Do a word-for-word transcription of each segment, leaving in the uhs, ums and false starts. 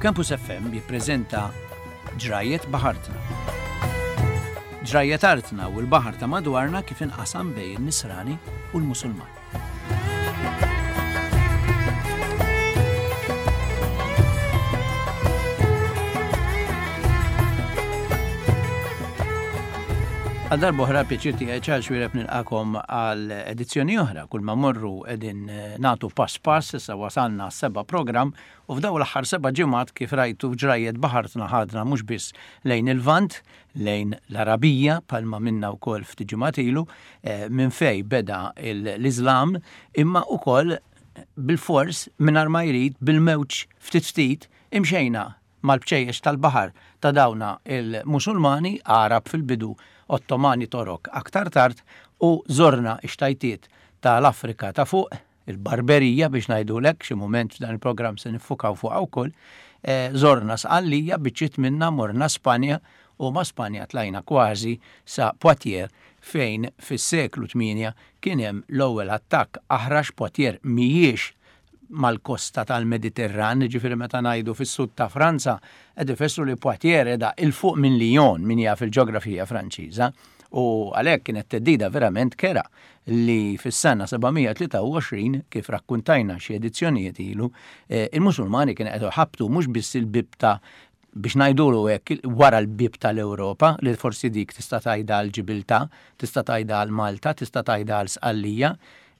Campus F M jippreżenta Ġrajiet Baħartna. Ġrajiet artna u l-baħar ta' madwarna kif inqasam bejn in-Nisrani u l-Musulman. Għal darb'oħra pjaċir tiegħi, Charles Xuereb, nilqagħkom għal edizzjoni oħra. Kull ma morru qegħdin eh, nagħtu pass pass, issa wasalna seba' programm u f'daw l-aħħar seba' ġimgħat, kif rajtu, Ġrajiet Baħartna ħadna mhux biss lejn il-Lvant, lejn l-Arabija, bħalma għamilna wkoll ftit ġimgħat ilu, eh, minn fej beda l-Islam, imma ukoll bil-fors mingħajr ma jrid bil-mewġ ftit ftit imxejna mal-bċejjex tal-baħar ta' dawna il-Musulmani, Arab fil-bidu, Ottomani, Torok aktar tard, u żorna ix-xtajtiet tal-Afrika ta' fuq, il-Barberija biex ngħidulek, xi moment f'dan il-programm se niffukaw fuq wkoll, eh, żorna Sqallija, biċċiet minna, morna Spanja u ma' Spanja tlajna kważi sa Poitiers, fejn fis-seklu tmienja kien hemm l-ewwel attakk aħrax. Poitiers mhijiex mal-kosta tal-Mediterran, ġifieri meta ngħidu fis-sud ta' Franza, qed ifissru li Poitiers qiegħda 'il fuq minn Lyon, min jaf il-ġeografija Franċiża, u għalhekk kienet theddida verament kerha li fis-sena seba' mija tlieta u għoxrin, kif rakkuntajna xi edizzjonijiet ilu, eh, il-Musulmani kien qed ħabtu mhux biss il-bib ta' biex ngħidulu hekk wara l-bib tal-Ewropa, li forsi dik tista' tgħidha għal Ġibiltà, tista' tgħidha għal Malta, tista' tgħidha għal Sqallija,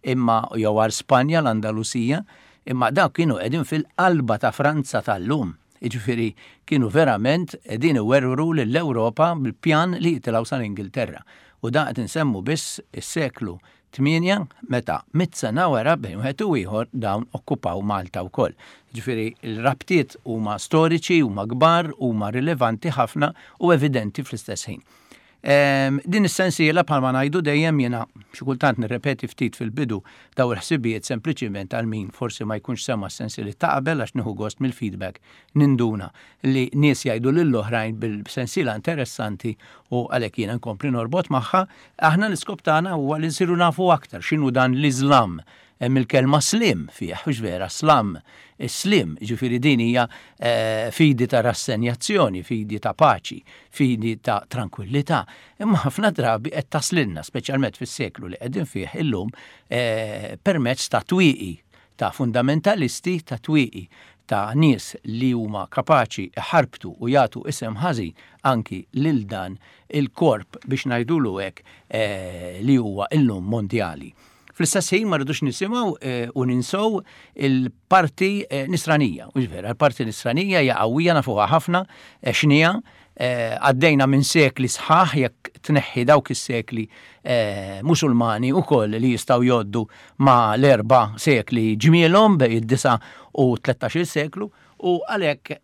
imma jew għal Spanja, l-Andalusija, imma dawk kienu qegħdin fil-qalba ta' Franza tal-lum. Jiġifieri kienu verament qegħdin iwerwru lill-Ewropa bil-pjan li jitilgħu sal-Ingilterra. U da qed insemmu biss is-seklu tmienja, meta mitt sena wara, bejn wieħed u ieħor, dawn okkupaw Malta wkoll. Ġifieri il-rabtiet huma storiċi, huma kbar, huma rilevanti ħafna u evidenti fl-istess ħin. Din is-sensiela, bħalma ngħidu dejjem, jiena xi kultant nirrepeti ftit fil-bidu daw il-ħsibijiet sempliċiment għal min forsi ma jkunx sema s-sensieli ta' qabel, għax nieħu gost mill-feedback, ninduna li nies jgħidu lill-oħrajn bil-sensiela interessanti u għalhekk jiena nkompli norbot magħha. Aħna l-iskop tagħna huwa li nsiru nafu aktar x'inhu dan l-Iżlam. Hemm il-kelma slim fih, hux vera, slam, slim, ġifieri din hija eh, fidi ta' rassenjazzjoni, fidi ta' paċi, fidi ta' tranquillità. Imma ħafna drabi qed taslilna, speċjalment fis-seklu li qegħdin fih illum, eh, permezz ta' twieqi ta' fundamentalisti, ta' twieqi ta' nies li huma kapaċi ħarbtu u jagħtu isem ħażin anki lil dan il-korp, biex ngħidulu hekk, eh, li huwa illum mondjali. Fl-istess ħin ma rridux nisimgħu eh, u ninsow il-parti eh, nisranija. U vera, il-parti nisranija hija qawwija, nafuha ħafna, eh, x'inhija, għaddejna minn sekli sħaħ, jekk tneħħi dawk is-sekli musulmani u koll li jistgħu jgħoddu ma l-erba' sekli ġmielhom bejn id-disa' u tlettax-il seklu, u għalhekk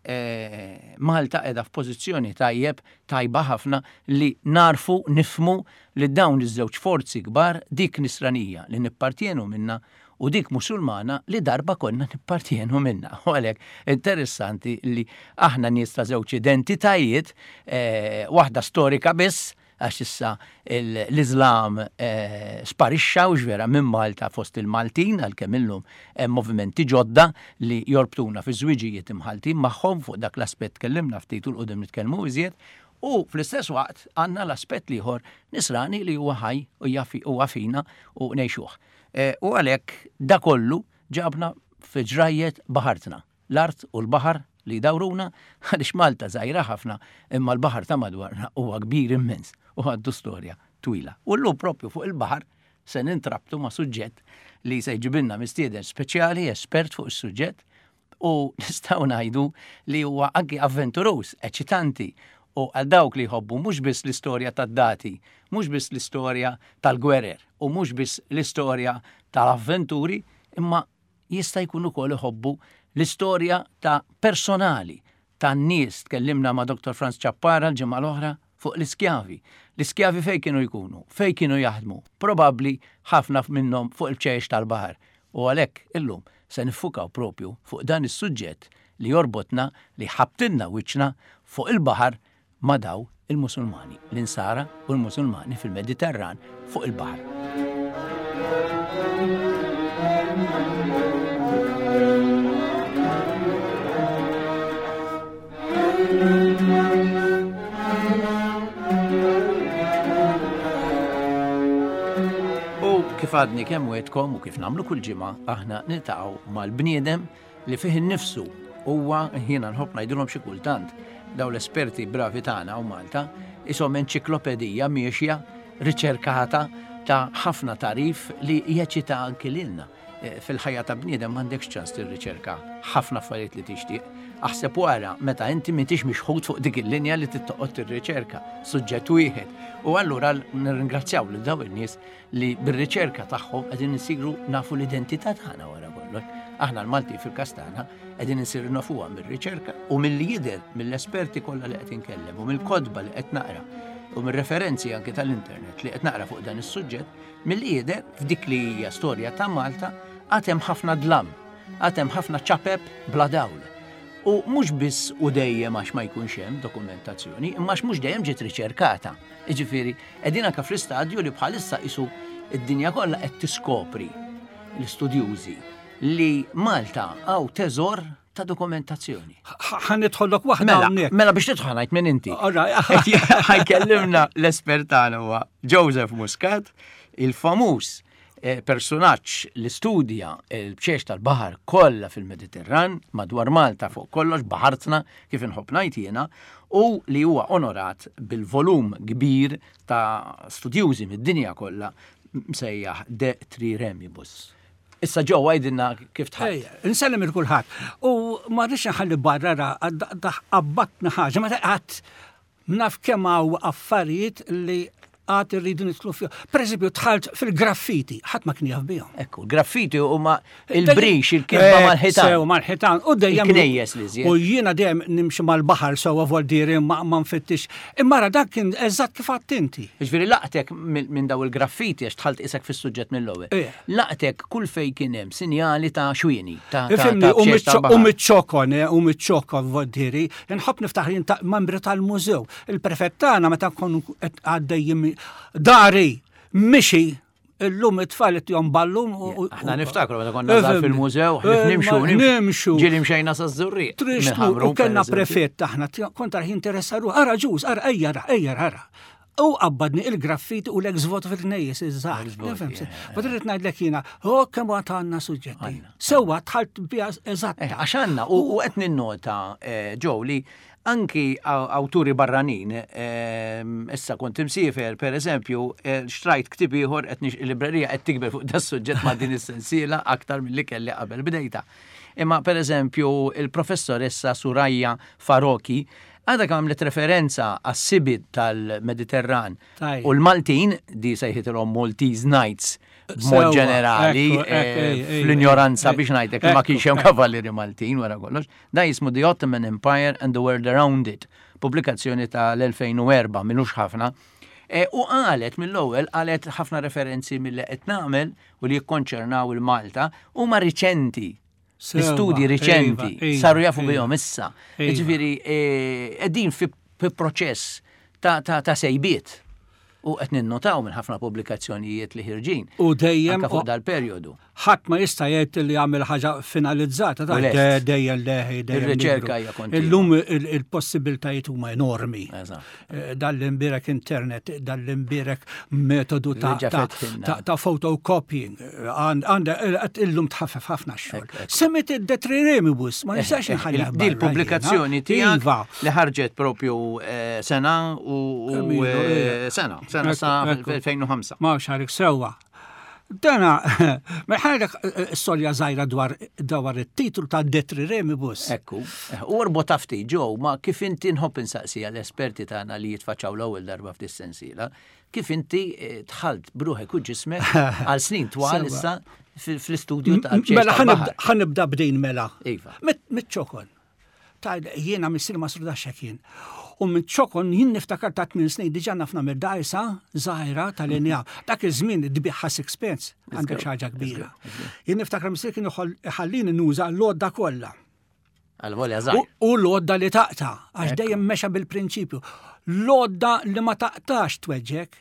Malta qiegħda f'pożizzjoni tajjeb, tajba ħafna, li narfu, nifhmu li dawn iż-żewġ forzi kbar, dik nisranija li nippartjenu minna u dik musulmana li darba konna nippartjenu minna. U għalhekk interessanti li aħna nies ta' żewġ identitajiet, eh, waħda storika biss, għax issa l-Islam eh, sparixxa u vera minn Malta fost il-Maltin, għalkemm illum hemm movimenti ġodda li jorbtuna fi żwiġijiet imħaltin magħhom. Fuq dak l-aspett tkellimna ftit u 'l quddiem nitkellmu iżjed. U fl-istess waqt għandna l-aspett l-ieħor nisrani li huwa ħaj u huwa fina u ngħixuh. Eh, u għalhekk da kollu ġabna fi Ġrajiet Baħartna, l-art u l-baħar li dawruna, għaliex Malta żgħira ħafna, imma l-baħar ta' madwarna huwa kbir immens u għandu storja twila. U llum propju fuq il-baħar se nintrabtu ma' suġġett li se jġibilna mistieden speċjali, espert fuq is-suġġett, u nistgħu ngħidu li huwa anki avventuruż, eċitanti, u għal dawk li jħobbu mhux biss l-istorja tad-dati, mhux biss l-istorja tal-gwerer u mhux biss l-istorja tal-avventuri, imma jista' jkun ukoll iħobbu l-istorja ta' personali tan-nies. Tkellimna ma' Doktor Franz Ciappara l-ġimgħa l-oħra fuq l-iskjavi. L-iskjavi fej kienu jkunu, fej kienu jaħdmu, probabbli ħafna minnhom fuq il-bċejjex tal-baħar. U għalhekk illum se niffukaw propju fuq dan is-suġġett li jorbotna, li ħabtilna wiċċna fuq il-baħar ma' daw il-Musulmani, l-Insara u l-Musulmani fil-Mediterran fuq il-baħar. Kif għadni kemm wegħedtkom u kif nagħmlu kull ġimgħa, aħna niltaqgħu mal-bniedem li fih innifsu huwa, jiena nħobb ngħidilhom xi kultant, daw l-esperti bravi tagħna u Malta, ishom enċiklopedija miexja riċerkata ta' ħafna tagħrif li jeċita anki lilna. Eh, Fil-ħajja ta' bniedem m'għandekx ċans tirriċerka ħafna affarijiet li tixtieq. Aħseb wara meta inti m'intix mixħut fuq dik il-linja li tittoqgħod tirriċerka suġġett wieħed. U allura nirringrazzjaw lil daw in-nies li bir-riċerka tagħhom qegħdin insiru nafu l-identità tagħna wara kollox. Aħna l-Malti fil-każ tagħna qegħdin insiru nafuha mir-riċerka u milli jidher mill-esperti kollha li qed inkellem u mill-kotba li qed naqra u mir-referenzi anke tal-internet li qed naqra fuq dan is-suġġett, milli jidher f'dik li hija storja ta' Malta għad hemm ħafna dlam, għad hemm ħafna ċapep bla dawl. U mhux biss u dejjem għax ma jkunx hemm dokumentazzjoni, imma għax mhux dejjem ġiet riċerkata. Jiġifieri, qegħdin anke fl-istadju li bħalissa qisu id-dinja kollha qed tiskopri l-istudjużi li Malta hawn teżor ta' dokumentazzjoni. Ħa nidħollok waħda Mela, hawnhekk. mela biex tidħol ngħid minn inti. All right. Ħa jkellimna l-espert tagħna huwa Joseph Muscat, il-famuż eh, personaġġ li studja l-bċeċ tal-baħar kollha fil-Mediterran, madwar Malta fuq kollox, baħartna kif inħobb ngħid jiena, u li huwa onorat bil-volum kbir ta' studjużi mid-dinja kollha msejjaħ De Triremibus. Issa ġew għidilna kif tħadd. Ejja, Insellem lil kulħadd. U ma rridx nħalli barra ra qabbatna ħaġa, ma qatt naf kemm hawn affarijiet li għad irridu nidħlu fihom. Per eżempju, dħalt fil-graffiti, ħadd ma kien jaf bihom. Ekku, graffiti huma il-brix, il-kitba Eh, mal-ħitan. Sew mal-ħitan. U dejjem. Il-knejjes li żjed. U jiena dejjem nimxi mal-baħar sewwa voldiri ma ma nfittix. Imma ra dak kien eżatt kif għedt inti. Ġifieri laqtek minn min daw il-graffiti għax dħalt isek fis-suġġett mill-ewwel. Eh. Laqtek kull fej kien hemm sinjali ta' xwieni, ta' ta' Ifhimni, ta' u bċeċ tal-baħar. u miċ-ċokon, eh, u miċ-ċokon voldiri, nħobb niftaħ jien ta' membri tal-mużew. Il-prefett tagħna meta nkunu qed għaddejjin dari, mixi, illum it-tfal jom ballun. u- u- Aħna niftakru meta konna żgħar Ifhimni. fil-mużew, ħlif nimxu, Eh, nimxu. Ġieli mxejna sa żurri. Trixtu, u kellna prefett aħna, kont tarah jinteressa ruħu, ara ġuż, ara ejja, ara, ejja, ara. U qabbadni il-graffiti u l-ex voto fil-knejjes, iż-żgħar. L-ex-voto, yeah. Ma trid ngħidlek jiena, oh kemm għad għandna suġġetti. Sewwa dħalt biha eżatt. Eh, Għax għandna, u u qed ninnota, eh, Joe, li anki aw- awturi barranin, ehm, issa kont imsiefer, per eżempju, eh, xtrajt ktib ieħor qed nix- il-librerija qed tikber fuq da suġġett ma' din is-sensiela aktar milli kelli qabel bdejta. Imma per eżempju, il-professoressa Suraya Farouqi għadha kemm għamlet referenza għas-sibit tal-Mediterran Tajjeb. u l-Maltin, di sejħitilhom Maltese Knights, b'mod Sewwa, ġenerali, ekku, ekku, eh, ej, ej, fl-ignoranza ej, biex ngħidlek li ma ekku, kienx hemm ekku. kavallieri Maltin wara kollox. Da jismu The Ottoman Empire and the World Around It, pubblikazzjoni tal-elfejn u erbgħa, m'ilux ħafna. E, u qalet mill-ewwel qalet ħafna referenzi mill qed nagħmel u li jikkonċernaw il-Malta huma riċenti. Sewwa, L-istudji riċenti iva, iva, saru jafu iva. bihom issa. Iva. Ġifieri qegħdin fi fi proċess ta' ta' ta' sejbiet u qed ninnotaw minn ħafna pubblikazzjonijiet li ħirġin. U dejjem Anka fuq dal-perjodu. ħadd ma jista' jgħid li jagħmel ħaġa finalizzata, ta' U lest. de- dejjem leħi, dejjem Ir-riċerka nikbru. hija kontinwa. Illum il- il-possibiltajiet huma enormi. Eżatt. Eh, Dal-imbierek internet, dal-imbierek metodu ta' Li ġa ta' fetħilna. ta' ta' photocopying. Għand- Għanda qed illum tħaffef ħafna x-xogħol. Ekk, ekk. Semmit id-De Triremibus, ma nistax inħallih Di barra l-pubblikazzjoni jiena. tiegħek Iva. li ħarġet propju eh, sena u u, Kemm ilu, eh, ija. sena, sena Ekku, sa ekku. fil-elfejn u ħamsa. Ma xarik sewwa. Dana, ma ħalek storja żgħira dwar dwar it-titlu ta' De Triremibus. Ekku, eh, u orbot ftit ġew ma kif inti nħobb insaqsija l-esperti tagħna li jitfaċċaw l-ewwel darba f'dis-sensiela, kif inti eh, dħalt bruħek u ġismek għal snin twal Sewwa. issa fil- fl-istudju ta' Mela ħa nibda b'din mela. Iva. Mit-ċokon. Ta' jiena missieri ma surdax kien. U minn ċokon jien niftakar ta' tmien snin diġà naf nagħmel dgħajsa żgħira tal-injam. Dak iż-żmien tbigħha sixpence, għandek xi ħaġa kbira. Jien niftakar missieri kien iħallini nuża l-għodda kollha. Għal-volja U żgħir. u l-għodda li taqta, għax dejjem mexa bil-prinċipju. L-għodda li ma taqtax tweġġek,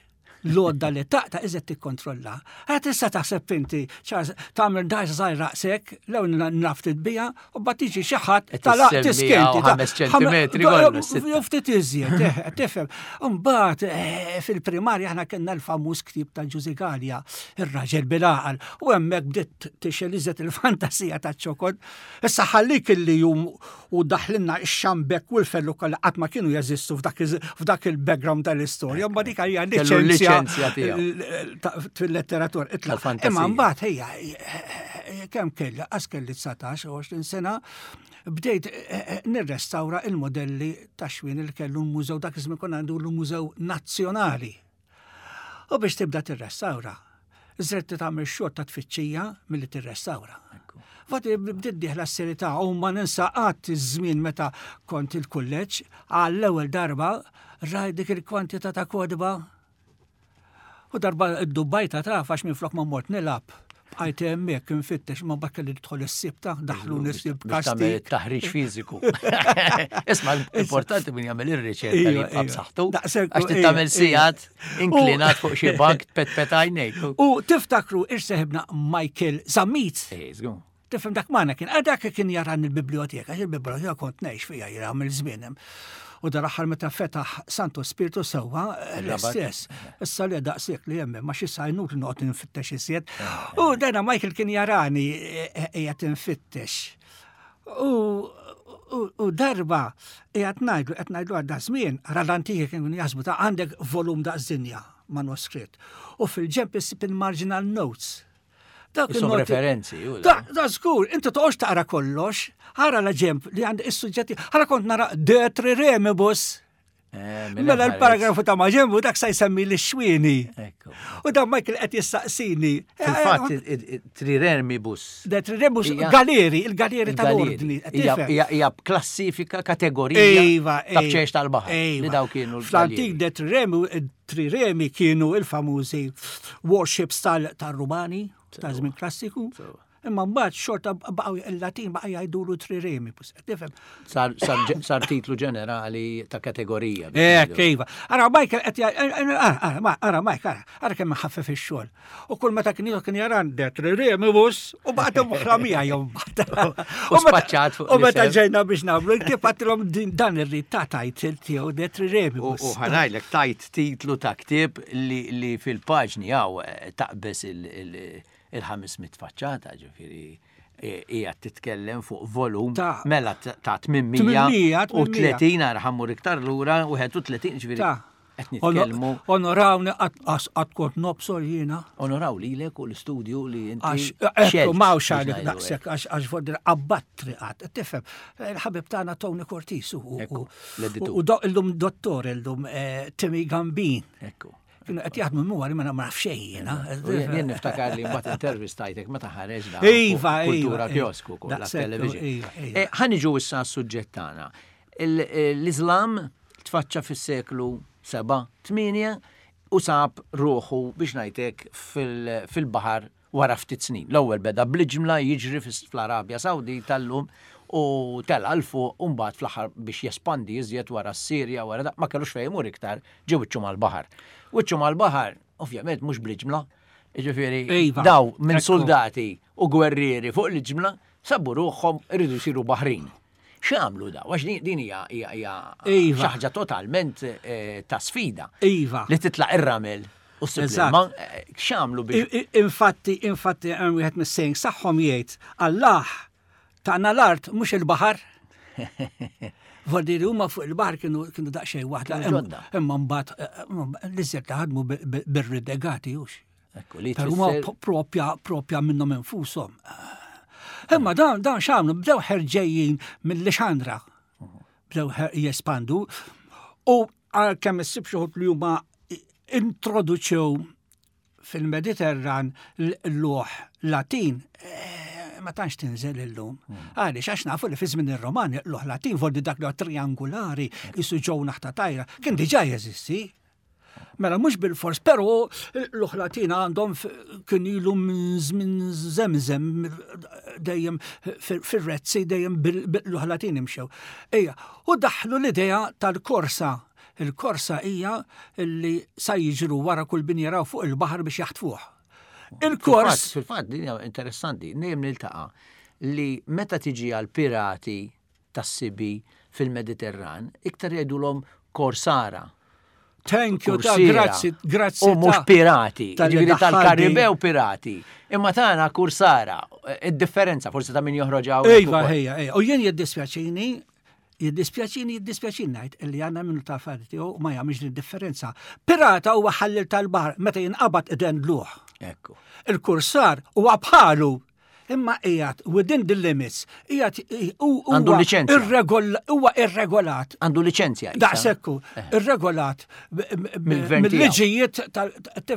L-għodda li taqta' iżed tikkontrolla. Għad tista' taħseb inti, Charles, tagħmel dgħajsa żgħir raqsek, lew naf titbija, u mbagħad tiġi xi ħadd Qed talaq issemmiha tiskinti. u ħames ċentimetri kollu, sitta. Jew ftit iżjed, eh, tifhem. Mbagħad eh, fil-primarja aħna kellna l-famuż ktieb ta' Ġużi Galea, ir-raġel bil-għaqal, u hemmhekk bdiet tixgħel iżjed il-fantasija taċ-ċokon. Issa ħallik illi jum u daħlinna ix-xambek u l-fellu kollha qatt ma kienu jeżistu f'dak iż- f'dak il-background tal-istorja, ma dik hija Kellu l-liċenzja liċenzja tiegħu. ta- fil-letteratura. Itlaq. Tal-fantasija. Imma mbagħad ejja kemm kelli, qas kelli dsatax u għoxrin sena, bdejt eh, eh, nirrestawra il-modelli ta' xwien li kellu l-mużew, dak iż-żmien konna għandu l-Mużew Nazzjonali. U biex tibda tirrestawra, żred tagħmel xogħol ta' tfittxija milli tirrestawra. Fati bdiet dieħla s-serjetà u ma ninsa qatt iż-żmien meta kont il-kulleġġ, għall-ewwel darba rajt dik il-kwantità ta' kotba. U darba id-Dubajta taf għax minn flok ma mort nilgħab. Bqajt hemmhekk infittex, ma mbagħad kelli tidħol is-sibta, daħlu issib Biex tagħmel kastig. taħriġ fiżiku. Isma' importanti min jagħmel ir-riċerka li Iva, jibqa' iva. b'saħħtu. Daqshekk, Għax iva, tagħmel iva. sigħat inklinat fuq xi bank tpetpet għajnejk. U tiftakru irseħibna Michael Zammit. Eh, żgur. Tifhem dak magħna kien, ah, dak kien jaran il-biblioteka, għax il-biblioteka kont ngħix fiha jira mill-żmien hemm. U dal-aħħar meta fetaħ Santo Spirito sewwa Il-Rabat. l-istess. Issa li daqshekk li hemm, ma xi sajnut li noqgħod infittex iżjed. U dana Michael kien jarani qiegħed infittex. U u- u darba qiegħed ngħidlu qed ngħidlu għadda żmien, ara l-antiki kienu jaħsbu ta' għandek volum daqs dinja manuskritt. U fil-ġemp issib il-marginal notes. Dak Isom il-noti- referenzi, u Da, da żgur, inti toqgħodx taqra kollox, ħara la ġemp li għand is-suġġetti, ħara kont nara de triremibus. Eh, Mela l-paragrafu ta' maġembu dak sa jsemmi l-xwieni. Ekku. U dan Michael qed jistaqsini. Fil-fatt, triremibus. De triremibus Hija- galeri, il-galeri tal-ordni. qed Hija tifhem? hija- hija klassifika kategorija Iva, ta' bċejx tal-baħar. Iva. Li daw kienu Fl-antik l-galeri. de triremi, triremi kienu il-famużi warships tal- tal-Rumani, ta' żmien klassiku. Imma mbagħad xorta baqgħu il-Latin baqa' jgħidulu triremi. Tifhem? Sar, sar, ġe- sar titlu ġenerali ta' kategorija. biex Eh, ngħidu. kejva. Ara, Michael, qed jgħid- ara, ara, ma- ara, Mike, ara, ara kemm ħaffef ix-xogħol. U kull meta kien jieħu kien jaran de triremibus u baqgħet moħra miegħi jom U spaċċat fuq U meta l-isem. ġejna biex nagħmlu, l-ktieb għattilhom din- dan irrid ta' title tiegħu de U triremibus. u ħanajlek tajt titlu ta' ktieb li, li fil-paġni għaw eh, taqbes il-ħames mitt faċċata, ġifiri hija titkellem fuq volum Ta' mela ta' tmien mija u tletin għar ħammur iktar lura u wieħed u tletin, ġifiri Ta' qed nitkellmu. Onorawni qatt kont nobsor jiena. Onoraw lilek u l-istudju li inti Għax, ekku, xelt, mawx biex għalik ngħidu hekk. daqsek, għax għax foddir abbattri għad. Tifhem, il-ħabib tagħna Tony Cortis u- u- Ekku, l-editur. u do- illum dottor, illum eh, Timmy Gambin. Ekku. Kienu qed jaħdmu mwari ma naf xejn jiena. U Jien jien niftakar li mbagħad intervistajtek meta ħareġ da Iva, fuq Kultura iva, Kiosk ukoll Daqshekk, television. iva, iva. Eh, Ħa niġu issa s-suġġett tagħna. Il- L-Islam tfaċċa fis-seklu seba' tmienja u sab ruħu biex ngħidlek fil- fil-baħar wara ftit snin. L-ewwel beda bl-ġimla jiġri fis- fl-Arabja Sawdita tal-lum u tela 'l fuq u mbagħad fl-aħħar biex jespandi iżjed wara s-Sirja, wara da, ma kellux fejn imur iktar, ġew wiċċu mal-baħar. Wiċċu mal-baħar, ovvjament mhux bl-ġimla, jiġifieri Iva, daw minn ekku. soldati u gwerrieri fuq l-ġimla sabu ruħhom iridu jsiru baħrin. X'għamlu daw? Għax din- din hija hija hija Iva. xi ħaġa totalment eh, ta' sfida. Iva. Li titlaq ir-ramel u ssib Eżatt. l-ilma, eh, x'għamlu biex I- i- Infatti, infatti, hemm wieħed mis-saying saħħom jgħid, Allah tana l-art mhux il-baħar. Voldiri huma fuq il-baħar kienu kienu daqsxejn waħda. Kienu ġodda. Imma mbagħad eh, l-iżjed li ħadmu bi- bi- bir-ridegati hux. Ekku, li Però huma tfisser- po- propja propja minnhom infushom. Imma dan dan x'għamlu bdew ħerġejjin mill-Lixandra. Bdew ħer- jespandu u għalkemm issib xi wħud li huma introduċew fil-Mediterran l-luħ Latin, eh, ma tantx tinżel illum. Għaliex għax nafu li fi żmien ir-Romani l-luħ Latin voldi dak li huwa triangolari jisu ġew naħta tajra, kien diġà jeżisti. Mela mhux bil-fors, però l-luħ Latin għandhom f- kien ilu minn żmien żemżem dejjem fir-rezzi dejjem bil-luħ Latin imxew. Ejja, u daħlu l-idea tal-korsa Il-korsa hija li sa jiġru wara kull bin jaraw fuq il-baħar biex jaħtfuh. Il-kors. Fil-fatt, din hija interessanti, dejjem niltaqa' li meta tiġi għal pirati tas-sibi fil-Mediterran, iktar jgħidulhom korsara. Thank you, ta' Kursiera. grazzi, grazzi. U mhux ta' pirati, tal-li ġifieri daħħalni. tal-Karibew pirati. Imma tagħna kursara, id-differenza forsi ta' min joħroġ hawn. Iva, ejja, ejja. U jien jiddispjaċini, jiddispjaċini, jiddispjaċini ngħid illi għandna minnu ta' affarijiet tiegħu ma jagħmilx din differenza. Pirata huwa ħallel tal-baħar meta jinqabad idendluh. Ekku. Il-kursar huwa bħalu imma qiegħed within the limits, qiegħed u- huwa Għandu liċenzja. irregol- huwa irregolat. Għandu liċenzja. issa. Daqsekku, irregolat b- b- Mill-gvern tiegħu. mill-liġijiet tal-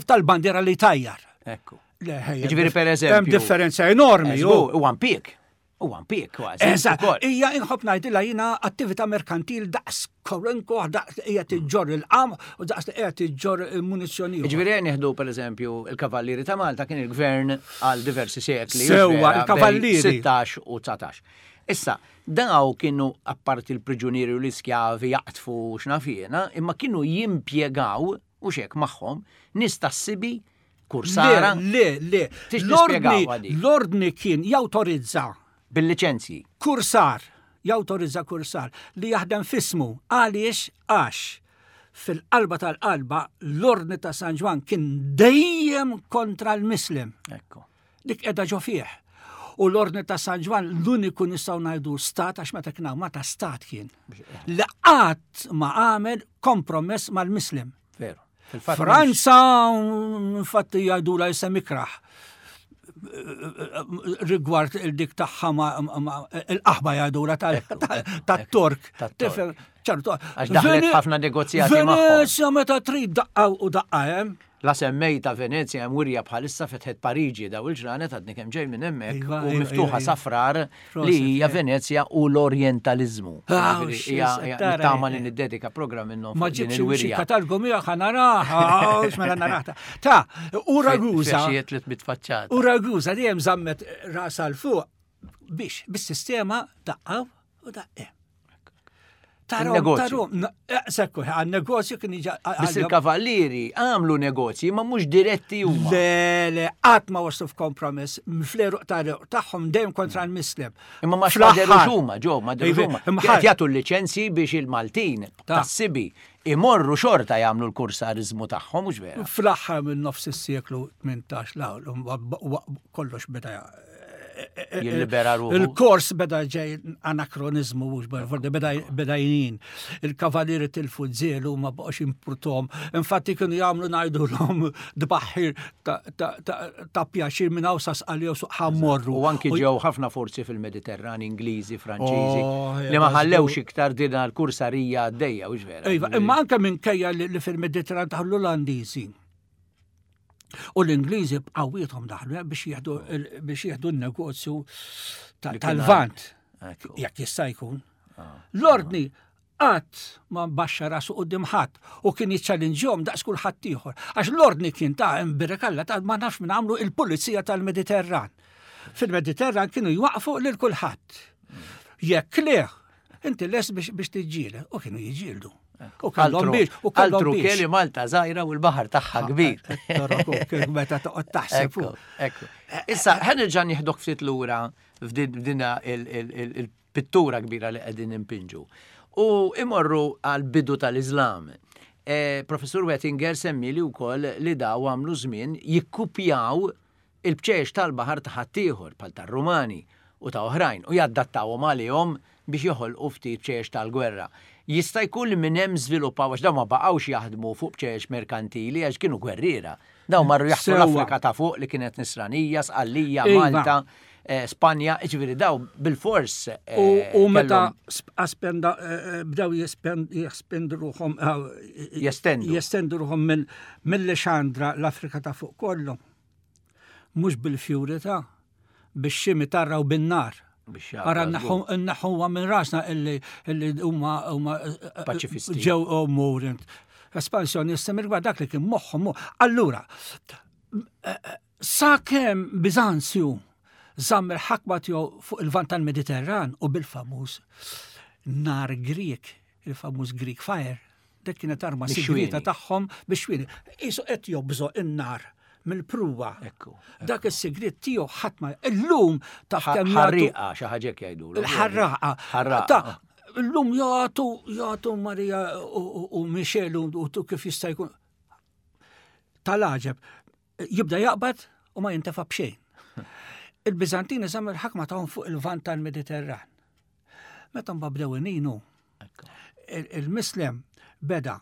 tal-bandiera li tajjar. Ekku. Le, ħejja, Ġifieri per eżempju. Hemm differenza enormi. Żgur, ju. Huwa impjieg. Huwa impjieg kważi. Eżatt, ukoll. hija inħobb ngħidilha jiena attività merkantil daqs korenko, daqs hija tiġġor il-qam u daqs li qiegħed tiġġor il-munizzjoni. Ġifieri nieħdu per eżempju il-Kavallieri ta' Malta kien il-gvern għal diversi sekli. Sewwa, u vera, il-Kavallieri. bejn sittax u dsatax. Issa, daw kienu apparti l-priġunieri u l-iskjavi jaqtfu x'naf jiena, imma kienu jimpjegaw u xek magħhom nies tas-sibi kursara Le, le, le. Tix L-ordni, nispjegaw għadi. l-ordni kien jawtorizza bil-liċenzji. kursar, jawtorizza kursar li jaħdem fismu. Għaliex? Għax fil-qalba tal-qalba l-ordni ta' San Ġwann kien dejjem kontra l-Muslim. Ekku. Dik qiegħda ġo fih. U l-ordni ta' San Ġwann l-uniku nistgħu ngħidu stat għax meta kien hawn Malta stat kien. Li qatt ma għamel kompromess mal-Muslim. Veru. Fil-fatt Franza, infatti jgħidula jisem ikraħ rigward il-dik tagħha ma- ma- il-qaħba jgħidula tat-Tork. tat-Tork. Tifhem, ċertu. Għax daħlet ħafna negozjati magħhom. Venezja meta trid daqqa u daqqa hemm. La semmejta Venezja hemm wirja bħalissa fetħet Pariġi daw il-ġranet għadni kemm ġej minn hemmhekk Iva, u iva, miftuħa iva, iva. safrar Proset, li hija eh. Venezja u l-Orientalizmu. Ah, Ġifieri, xi hija- hija tara, Nittama eh. li niddedika programm minnhom Ma fuq din ġibx xi il-wirja. katalgu miegħek ħa naraha, mela naraha. Ta, u Ragusa, Fexijiet li tbit faċċata. u Ragusa dejjem żammet rasa l fuq biex bis-sistema daqqa u daqqa. Tarom, Il-negozju. tarom, sekku, għal-negozju kien iġa. Biss il-kavallieri għamlu negozji ma mhux diretti huma. Le, le, qatt ma waslu f'kompromess, fl-eruq tagħhom dejjem kontra l-Muslim. Imma ma Fl-aħħar- xmaderux huma, ġo, ma derux Iva, huma. imma Qed jagħtu l-liċenzji biex il-Maltin Ta. tas-sibi imorru xorta jagħmlu l-kursariżmu tagħhom, mhux vera. Fl-aħħar minn nofs is-seklu tmintax la kollox beda Jillibera ruħu. Il-kors beda ġej anakronizmu mhux fordi beda beda jinin. Il-kavallieri tilfu żelu ma baqgħux impurtom. Infatti kienu jagħmlu ngħidulhom dbaħħir ta' ta' ta' ta' pjaċir minn hawn sa Sqalli suq ħammorru. U anki ġew ħafna forzi fil-Mediterran, Ingliżi, Franċiżi, Oh, li ma ja, ħallewx iktar din l-kursarija għaddejja, u vera. Iva, imma anke minkejja li li fil-Mediterran daħlu l-Olandiżi. U l-Ingliżi b'qawwiethom daħlu eh, biex jieħdu il- biex jieħdu n-negozju ta- Li kien tal-Vant. Ekku. Jekk jista' jkun. L-ordni qatt ma baxxa rasu quddiem ħadd u kien jiċċallinġjhom daqs kulħadd ieħor. Għax l-ordni kien ta' imbirekalla ta' ma nafx minn għamlu il-pulizija tal-Mediterran. Fil-Mediterran kienu jwaqfu lil kulħadd. Jekk le, inti les biex biex tiġġieled u kienu jiġġieldu. U kellhom Altru, biex, u kellhom altru biex. kelli Malta żgħira u l-baħar tagħha kbir. Torok, meta toqgħod taħseb. Ekku, ekku. Issa, ħa nerġa' nieħdok ftit lura f'dina il-pittura kbira li qegħdin impinġu. U imorru għal bidu tal-Islam. Eh, Professur Wettinger semmi li wkoll li daw għamlu żmien jikkupjaw il-bċeċ tal-baħar ta' ħaddieħor bħal tar-Rumani u ta' oħrajn u jaddattawhom għalihom biex joħolqu ftit bċeċ tal-gwerra. Jista' jkun li minn hemm żviluppaw għax dawn ma baqgħux jaħdmu fuq bċeċ merkantili għax kienu gwerriera. Dawn marru jaħtu Sewwa. l-Afrika ta' fuq li kienet Nisranija, Sqallija, Iva. Malta, eh, Spanja, ġifieri daw bil-fors. eh, U, u meta kellhom- sp- aspenda, eh, eh, bdew jespend- jespendu ruħhom eh, Jestendu. jestendu ruħhom mill- mill-Lexandra l-Afrika ta' fuq kollu. Mhux bil-fjuri ta' bix-ximi tarra u bin-nar. Biex jaqra Ara żgur. nneħħuha minn rasna illi illi huma huma eh, eh, Paċifisti. ġew umur. Espansjonisti mill dak li kien moħħhom. Allura, sa kemm Bizanzju żamm il-ħakma tiegħu fuq il-vant tal-Mediterran u bil-famuż nar Grek, il-famuż Greek Fire. Dik kienet arma sigrieta tagħhom bix-xwieni. Qisu qed jobżoq in-nar mill-pruwa. Ekku. Dak is-sigriet tiegħu ħadd ma illum taf kemm Ħarriqa xi ħaġa jgħidulu. Il-ħarraqa. Ħarraqa. Illum jagħtu jagħtu Marija u Michel u kif jista' jkun. Tal-għaġeb jibda jaqbad u ma jintefa' b'xejn. Il-Biżantini żammu l-ħakma tagħhom fuq il-Lvant tal-Mediterran. Meta mbagħad bdew ininu, il-Mislem beda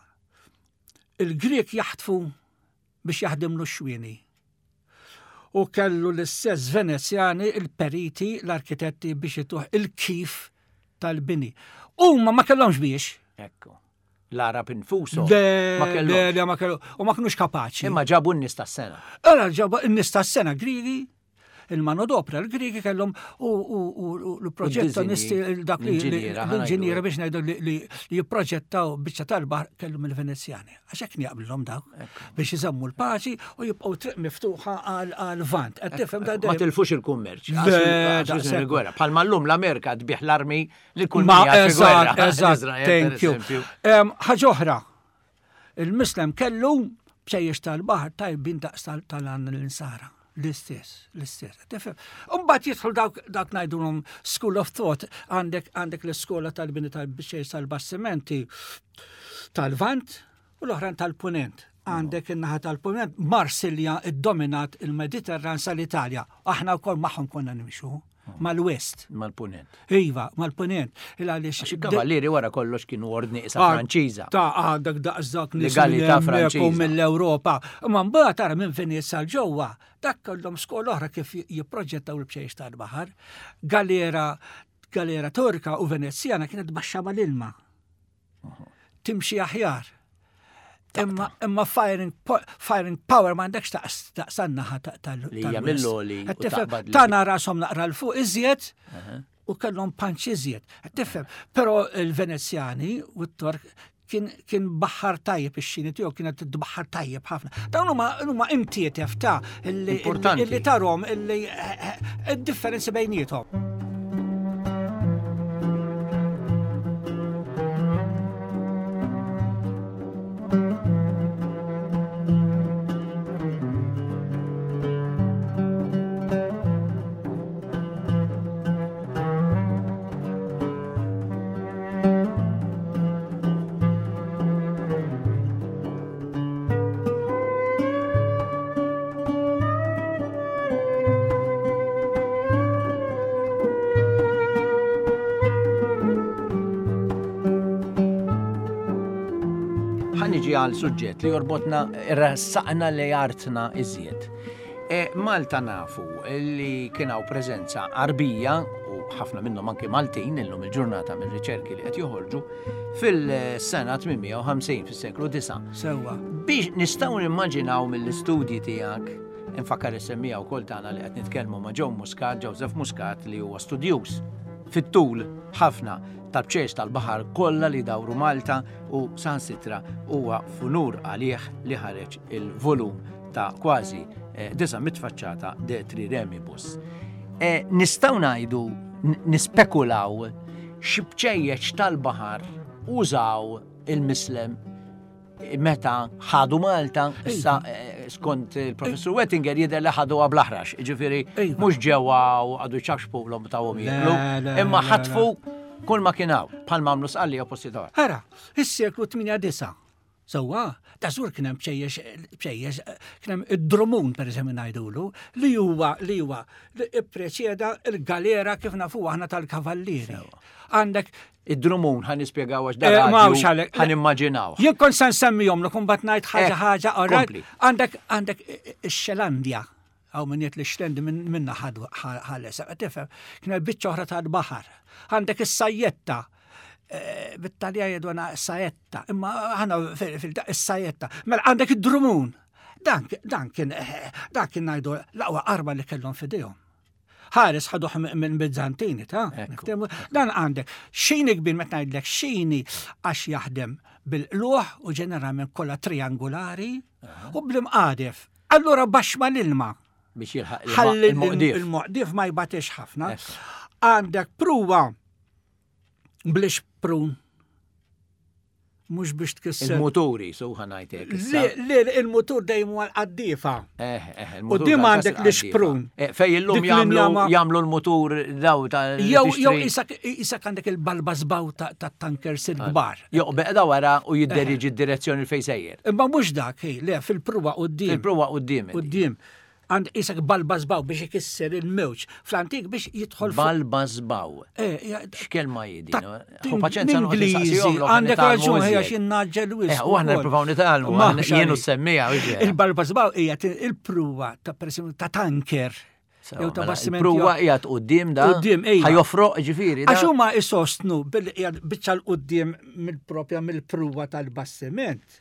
il-Grek jaħtfu biex jaħdimlu x-xwieni. U kellu l-istess Venezjani, il-periti, l-arkitetti biex jituh il-kif tal-bini. Huma ma kellhomx biex. Ekku. L-Arab infushom. Ma kellhomx. Ma kellhom. U ma kinux kapaċi. Imma ġabu n-nies tas-sena. Ora ġabu n-nies tas-sena Grigi, il-manodopra l-Grigi kellhom u l-proġettonisti dak li l-inġiniera biex ngħidu li jipproġettaw biċċa tal-baħar kellhom il-Venezjani. Għax hekk jaqblilhom dawk biex iżommu l-paċi u jibqgħu triq miftuħa għal-Lvant. Qed tifhem da Ma tilfux il-kummerċ. Il-gwerra. Bħalma llum l-Amerika tbigħ l-armi li kull min gwerra. Eżatt, thank you. Ħaġa oħra, il-Mislem kellu bċejjex tal-baħar tajbin daqs tal-għan l-insara. L-istess, l-istess. Umbagħad jidħol dawk dak ngħidulhom school of thought, għandek għandek l-iskola tal-bini tal-bċejjex tal-bastimenti tal-Lvant u l-oħrajn tal-Punent. Għandek in-naħa tal-Punent, Marsilja iddominat il-Mediterran sal-Italja. Aħna wkoll magħhom konna nimxu. Mal-West. Mal-Punent. Iva, mal-Punent. Għaliex il-kavallieri wara kollox kienu ordni isa Franċiża. Ta' għandek daqs dak legalità Franċiża. Mill-Ewropa. Imma mbagħad tara minn Venezia l ġewwa, dak kellhom skola oħra kif jipproġettaw il-bċejjex tal-baħar. Galera, galera Torka u Venezjana kienet baxxa mal-ilma. Timxi aħjar. Imma imma firing firing power m'għandekx daqs naħa tal. Li hija mill-oli. Tana rashom naqra l fuq iżjed u kellhom punch iżjed. Tifhem, però il-Venezjani u t-Tork kien kien baħar tajjeb ix-xini tiegħu kienet tbaħħar tajjeb ħafna. Dawn huma huma imtietef ta' illi tarhom illi id-differenzi bejniethom. Għal suġġett li jorbotna ressaqna li artna iżjed. E, Malta nafu li kien hawn preżenza Arbija u ħafna minnhom anke Maltin illum il-ġurnata mir-riċerki li qed joħorġu fil-sena tmien mija u ħamsin fis-seklu disa'. Sewwa. Biex nistgħu nimmaġinaw mill-istudji tiegħek, infakkar is-semmija wkoll tagħna li qed nitkellmu ma' Joe Muscat, Joseph Muscat li huwa studjuż fit-tul ħafna tal-bċejjex tal-baħar kollha li dawru Malta u sansitra huwa funur għalih li ħareġ il-volum ta' kważi disa' mitt faċċata de Triremibus. E, nistgħu ngħidu nispekulaw xi bċejjex tal-baħar użaw il-Mislem meta ħadu Malta, issa skont il-professur Wettinger jidher li ħaduha bl-aħrax, jiġifieri mhux ġewwa u għadu ċaxpulhom tawhom jieklu, imma ħatfu kull ma kien hawn, bħal m'għamlu Sqallija u postijiet oħra. Ara, is-seklu tmienja disa'. Sewwa, ta' żgur kien hemm bċejjex, bċejjex, kien hemm id-drumun pereżempju ngħidulu, li huwa li huwa li ippreċeda l-galera kif nafu aħna tal-kavallieri. Għandek id-drumun ħa nispjegaw għax Eh, dan ma hawnx għalhekk. ħa nimmaġinaw. Jien kont se nsemmihom lok imbagħad ngħid ħaġa Eh, ħaġa, all right? kompli. Għandek għandek ix-Xelandja. Għaw minn jgħid li x-Xlendi minna ħadu ħales, tifhem, kien hemm biċċa oħra tal-baħar. Għandek is-sajjetta. Bit-Talja jgħidu għana sajetta, imma ħana fil-sajetta. Mela għandek id-drumun. Dan, dan kien, dan kien ngħidu l-aqwa arma li kellhom f'idejhom. Ħares ħaduh minn Bizzantini, ta' Ekku. Dan għandek xini kbir meta ngħidlek xini għax jaħdem bil-qluħ u ġeneralment kollha triangolari u bl-imqadef. Allura baxx mal-ilma. Biex jilħaq Ħalli il-moqdief. il-moqdief ma jbatix ħafna. Ekku. Għandek pruwa blix prun. Mhux biex tkisser. Il-muturi, so ħa ngħidlek. Le, le, il-mutur dejjem huwa l-qaddiefa. Eh, eh, U dim għandek l-ixprun. Eh, fej illum Dik l-injama- jagħmlu jagħmlu l-mutur daw ta' Jew jew isak isak għandek il-balbażbaw ta' ta' tankers il-kbar. Joq beqda wara u jidderiġi d-direzzjoni fejn sejjer. Imma mhux dak, hi, le, fil-pruwa quddiem. Il-pruwa quddiem. Quddiem. Għand isek balbażbaw biex ikisser il-mewġ. Fl-antik biex jidħol fuq. Balbażbaw. Eh, ja, X'kelma jidi? ta' Ħu paċenza noqgħod Ingliżi, insaqsihom, l-oħra għandek nitgħallmu raġun ħija iżjed. xi naġġel wisq. Eh, u aħna nippruvaw nitgħallmu, Ma aħna xari. jienu semmija, u ġera. Il-balbażbaw hija t- il-pruwa ta' per esempio ta' tanker. Jew ta' Mela, bastiment. Il-pruwa qiegħed quddiem da. Quddiem, ejja. Ħajofroq ġifieri. da. Għax huma isostnu billi qiegħed biċċa 'l quddiem mill-propja mill-pruwa tal-bastiment.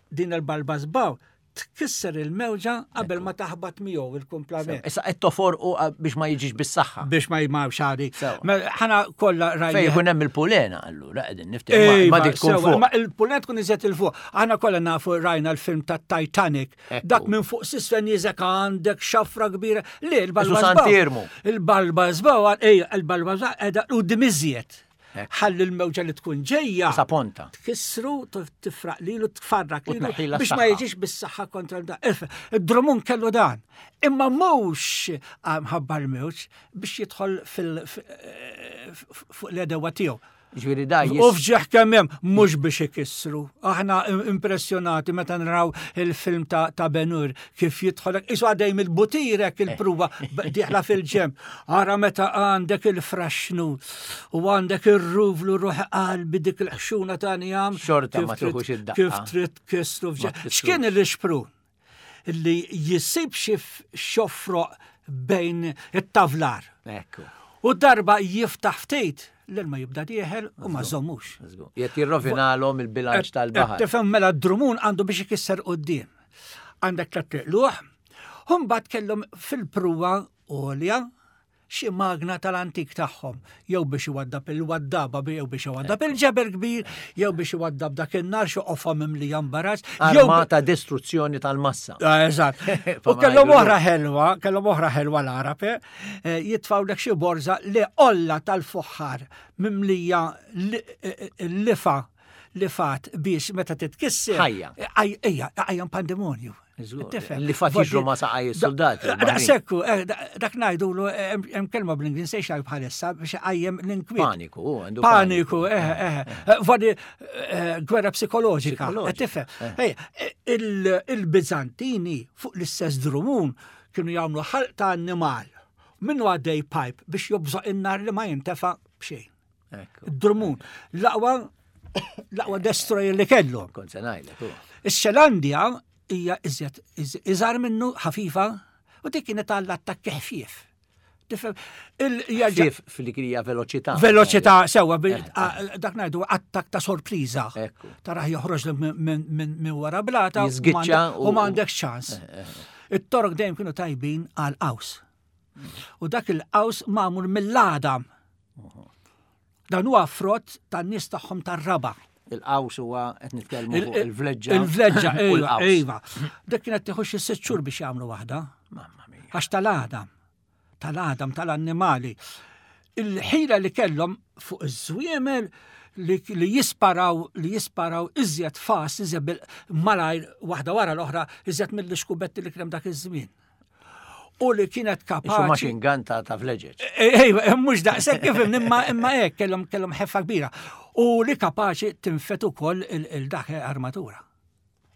Din il-balbażbaw tkisser il-mewġa qabel ma taħbat miegħu il-kumplament. Issa qed toforqu biex ma jiġix bis-saħħa. Biex ma jmawx għadi. Sewa. Mela, ħana kollha Fej rajna. jkun hemm il-pulena allura qegħdin niftehmu ma dik tkun sewa, fuq. Ma il-pulena tkun iżjed il-fuq. Aħna kollha nafu rajna l-film ta' Titanic. Ekku. Dak minn fuq s'isfel jiżek għandek xafra kbira. Le, il-balba Isu Sant'Iermu. Il-balba żbaw, ej, il-balba żbaw, edha u dimiżjed. Ekku. Ħalli l-mewġa li tkun ġejja. Sa ponta. Tkissru, tifraq lilu, tfarrak U lilu, tneħħilha biex ma s-saħħa. jiġix bis-saħħa kontra da. Id-drumun kellu dan. Imma mhux mħabba l-mewġ biex jidħol fil f- fuq l-edewa tiegħu. Ġifieri da U jis. fġieħ kemm hemm mhux biex ikissru. Aħna impressjonati meta naraw il-film ta' ta' Ben-Hur kif jidħolek isu għaddej mill-butirek il-pruwa dieħla fil-ġemb. Ara meta għandek il-fraxnu u għandek ir-ruvlu ruħ qalbi dik il-ħxuna ta' njam. Xorta kif ma trid- tuħux id-daqqa. Kif trid tkissru Ma fġieħ. tkissrux. X'kien il-xprun? Li jisib xi xofroq bejn it-tavlar. Ekku. U darba jiftaħ ftit, l-ilma jibda dieħel u ma żommux. Żgur. Jekk jirrovinalhom il-bilanċ tal-baħar. Tifhem mela d-drumun għandu biex ikisser quddiem. Għandek tliet luħ, Imbagħad kellhom fil-pruwa għolja xi magna tal-antik tagħhom, jew biex iwaddab il-waddaba, jew biex iwaddab il-ġebel kbir, jew biex iwaddab dak in-nar xi qofa mimlija mbarazz, jew Arma ta' distruzzjoni tal-massa. Ah, Eżatt. U Ma kellhom ngħidu oħra ħelwa, kellhom oħra ħelwa l-Arab, eh, jitfgħulek xi borza li olla tal-fuħħar mimlija li- eh, eh, lifa lifat biex meta titkisser. Ħajja. Ej- Ejja, ejja pandemonju. Żgur. Tifhem. Lifat jiġru ma' saqaj is-soldati, il-baħrin. Sekku, eh, da- dak ngħidulu eh, hemm hemm kelma bl-Ingliż sejxa bħalissa biex qajjem l-inkwiet. Paniku, u għandu Paniku, eh, eh, eh, Vadi eh, gwerra psikoloġika. Psikoloġika, Tifhem. Ej, il- Il-Bizantini fuq l-istess drumun kienu jagħmlu ħalq ta' annimal. Minnu għaddej pipe biex jobżoq in-nar li ma jintefa b'xejn. Ekku. Id-drumun. L-aqwa l-aqwa destroyer li kellu. Kont se ngħidlek. u. Ix-Xelandja hija iżjed iżgħar minnu ħafifa u dik kienet għall-attakki ħfief. Tifhem, il- jerġa' Ħfief fil-krija veloċità. Veloċità sewa, bil- a- dak ngħidu attak ta' sorpriża. Ekku. Taraħ joħroġ minn min, min, min wara blata u Jiżgiċċa m'għandek- u- u m'għandekx ċans. It-torok dejjem kienu tajbin għal qaws. U dak il-qaws magħmul mill-għadam. Dan huwa frott tan-nies tagħhom tar-raba. Il-qaws huwa qed nitkellmu fuq il-vleġġa. Il-vleġġa, u ejwa, l-qaws. ejwa. Dak kienet tieħu xi sitt xhur biex jagħmlu waħda. Mamma mia. Għax tal-għadam, tal-għadam, tal-annimali. Il-ħila li kellhom fuq iż-żwiemel li, li jisparaw li jisparaw iżjed fast, iżjed bil- malajr waħda wara l-oħra, iżjed mill-iskubbetti li kien dak iż-żmien. U li kienet Isu kapaċi. machine gun ta' ta' vleġeġ. Ejwa, mhux daqshekk kif imma imma hekk kellhom kellhom ħeffa kbira. U li kapaċi tinfet ukoll il-dak armatura.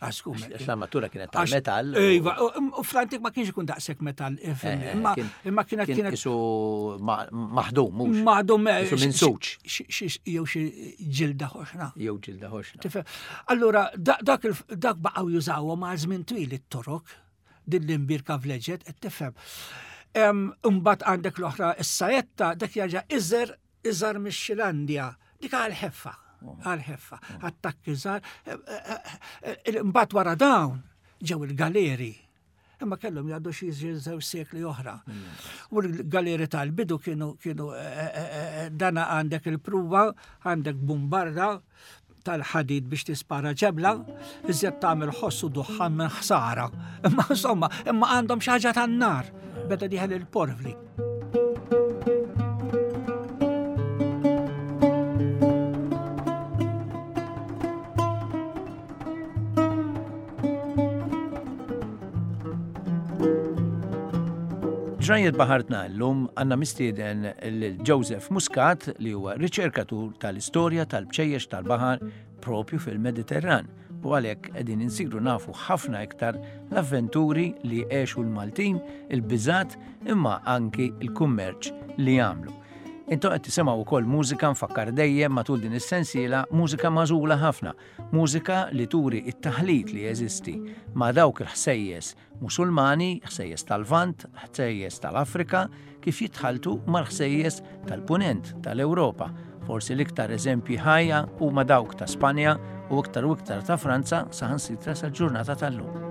Għax L-armatura kienet tal-metall. Ejwa, u fl-antik ma kienx ikun daqshekk metall, ifhimni, Eh, imma kien- imma kienet Kien kienet isu ma- maħdum, mhux. maħdum Isu minn suċ. jew xi ġilda ħoxna. Jew ġilda ħoxna. Tifhem? Allura, da- dak il- dak baqgħu jużawhom għal żmien twil it-torok, din l-imbirka vleġet, qed tifhem. Em, Imbagħad għandek l-oħra is-sajetta, dak jarġa' iżer iżar mix-Xilandja, dik għal-ħeffa, għal-ħeffa, attakki żgħar. Imbagħad wara dawn ġew il-galeri. Imma kellhom jgħaddu xi żewġ sekli oħra. U l-galeri tal-bidu kienu kienu eh, eh, eh, dana għandek il-pruwa, għandek bombarda tal-ħadid biex tispara ġebla, iżjed tagħmel ħoss u duħħan minn ħsara. Imma insomma, imma għandhom xi ħaġa tan-nar, beda dieħel il-porvli. Ġrajiet baħartna llum għandna mistieden lil Joseph Muscat li huwa riċerkatur tal-istorja tal-bċejjex tal-baħar propju fil-Mediterran u għalhekk qegħdin insiru nafu ħafna iktar l-avventuri li għexu l-Maltin, il-biżat imma anki il-kummerċ li għamlu. Intom qed tisimgħu wkoll mużika nfakkar dejjem matul din is-sensiela mużika magħżula ħafna, mużika li turi it-taħlit li jeżisti ma' dawk il-ħsejjes Musulmani, ħsejjes tal-Lvant, ħsejjes tal-Afrika, kif jitħaltu mal-ħsejjes tal-Punent tal-Ewropa. Forsi l-iktar eżempji ħajja huma dawk ta' Spanja u iktar u iktar ta' Franza saħansitra sal-ġurnata tal-lum.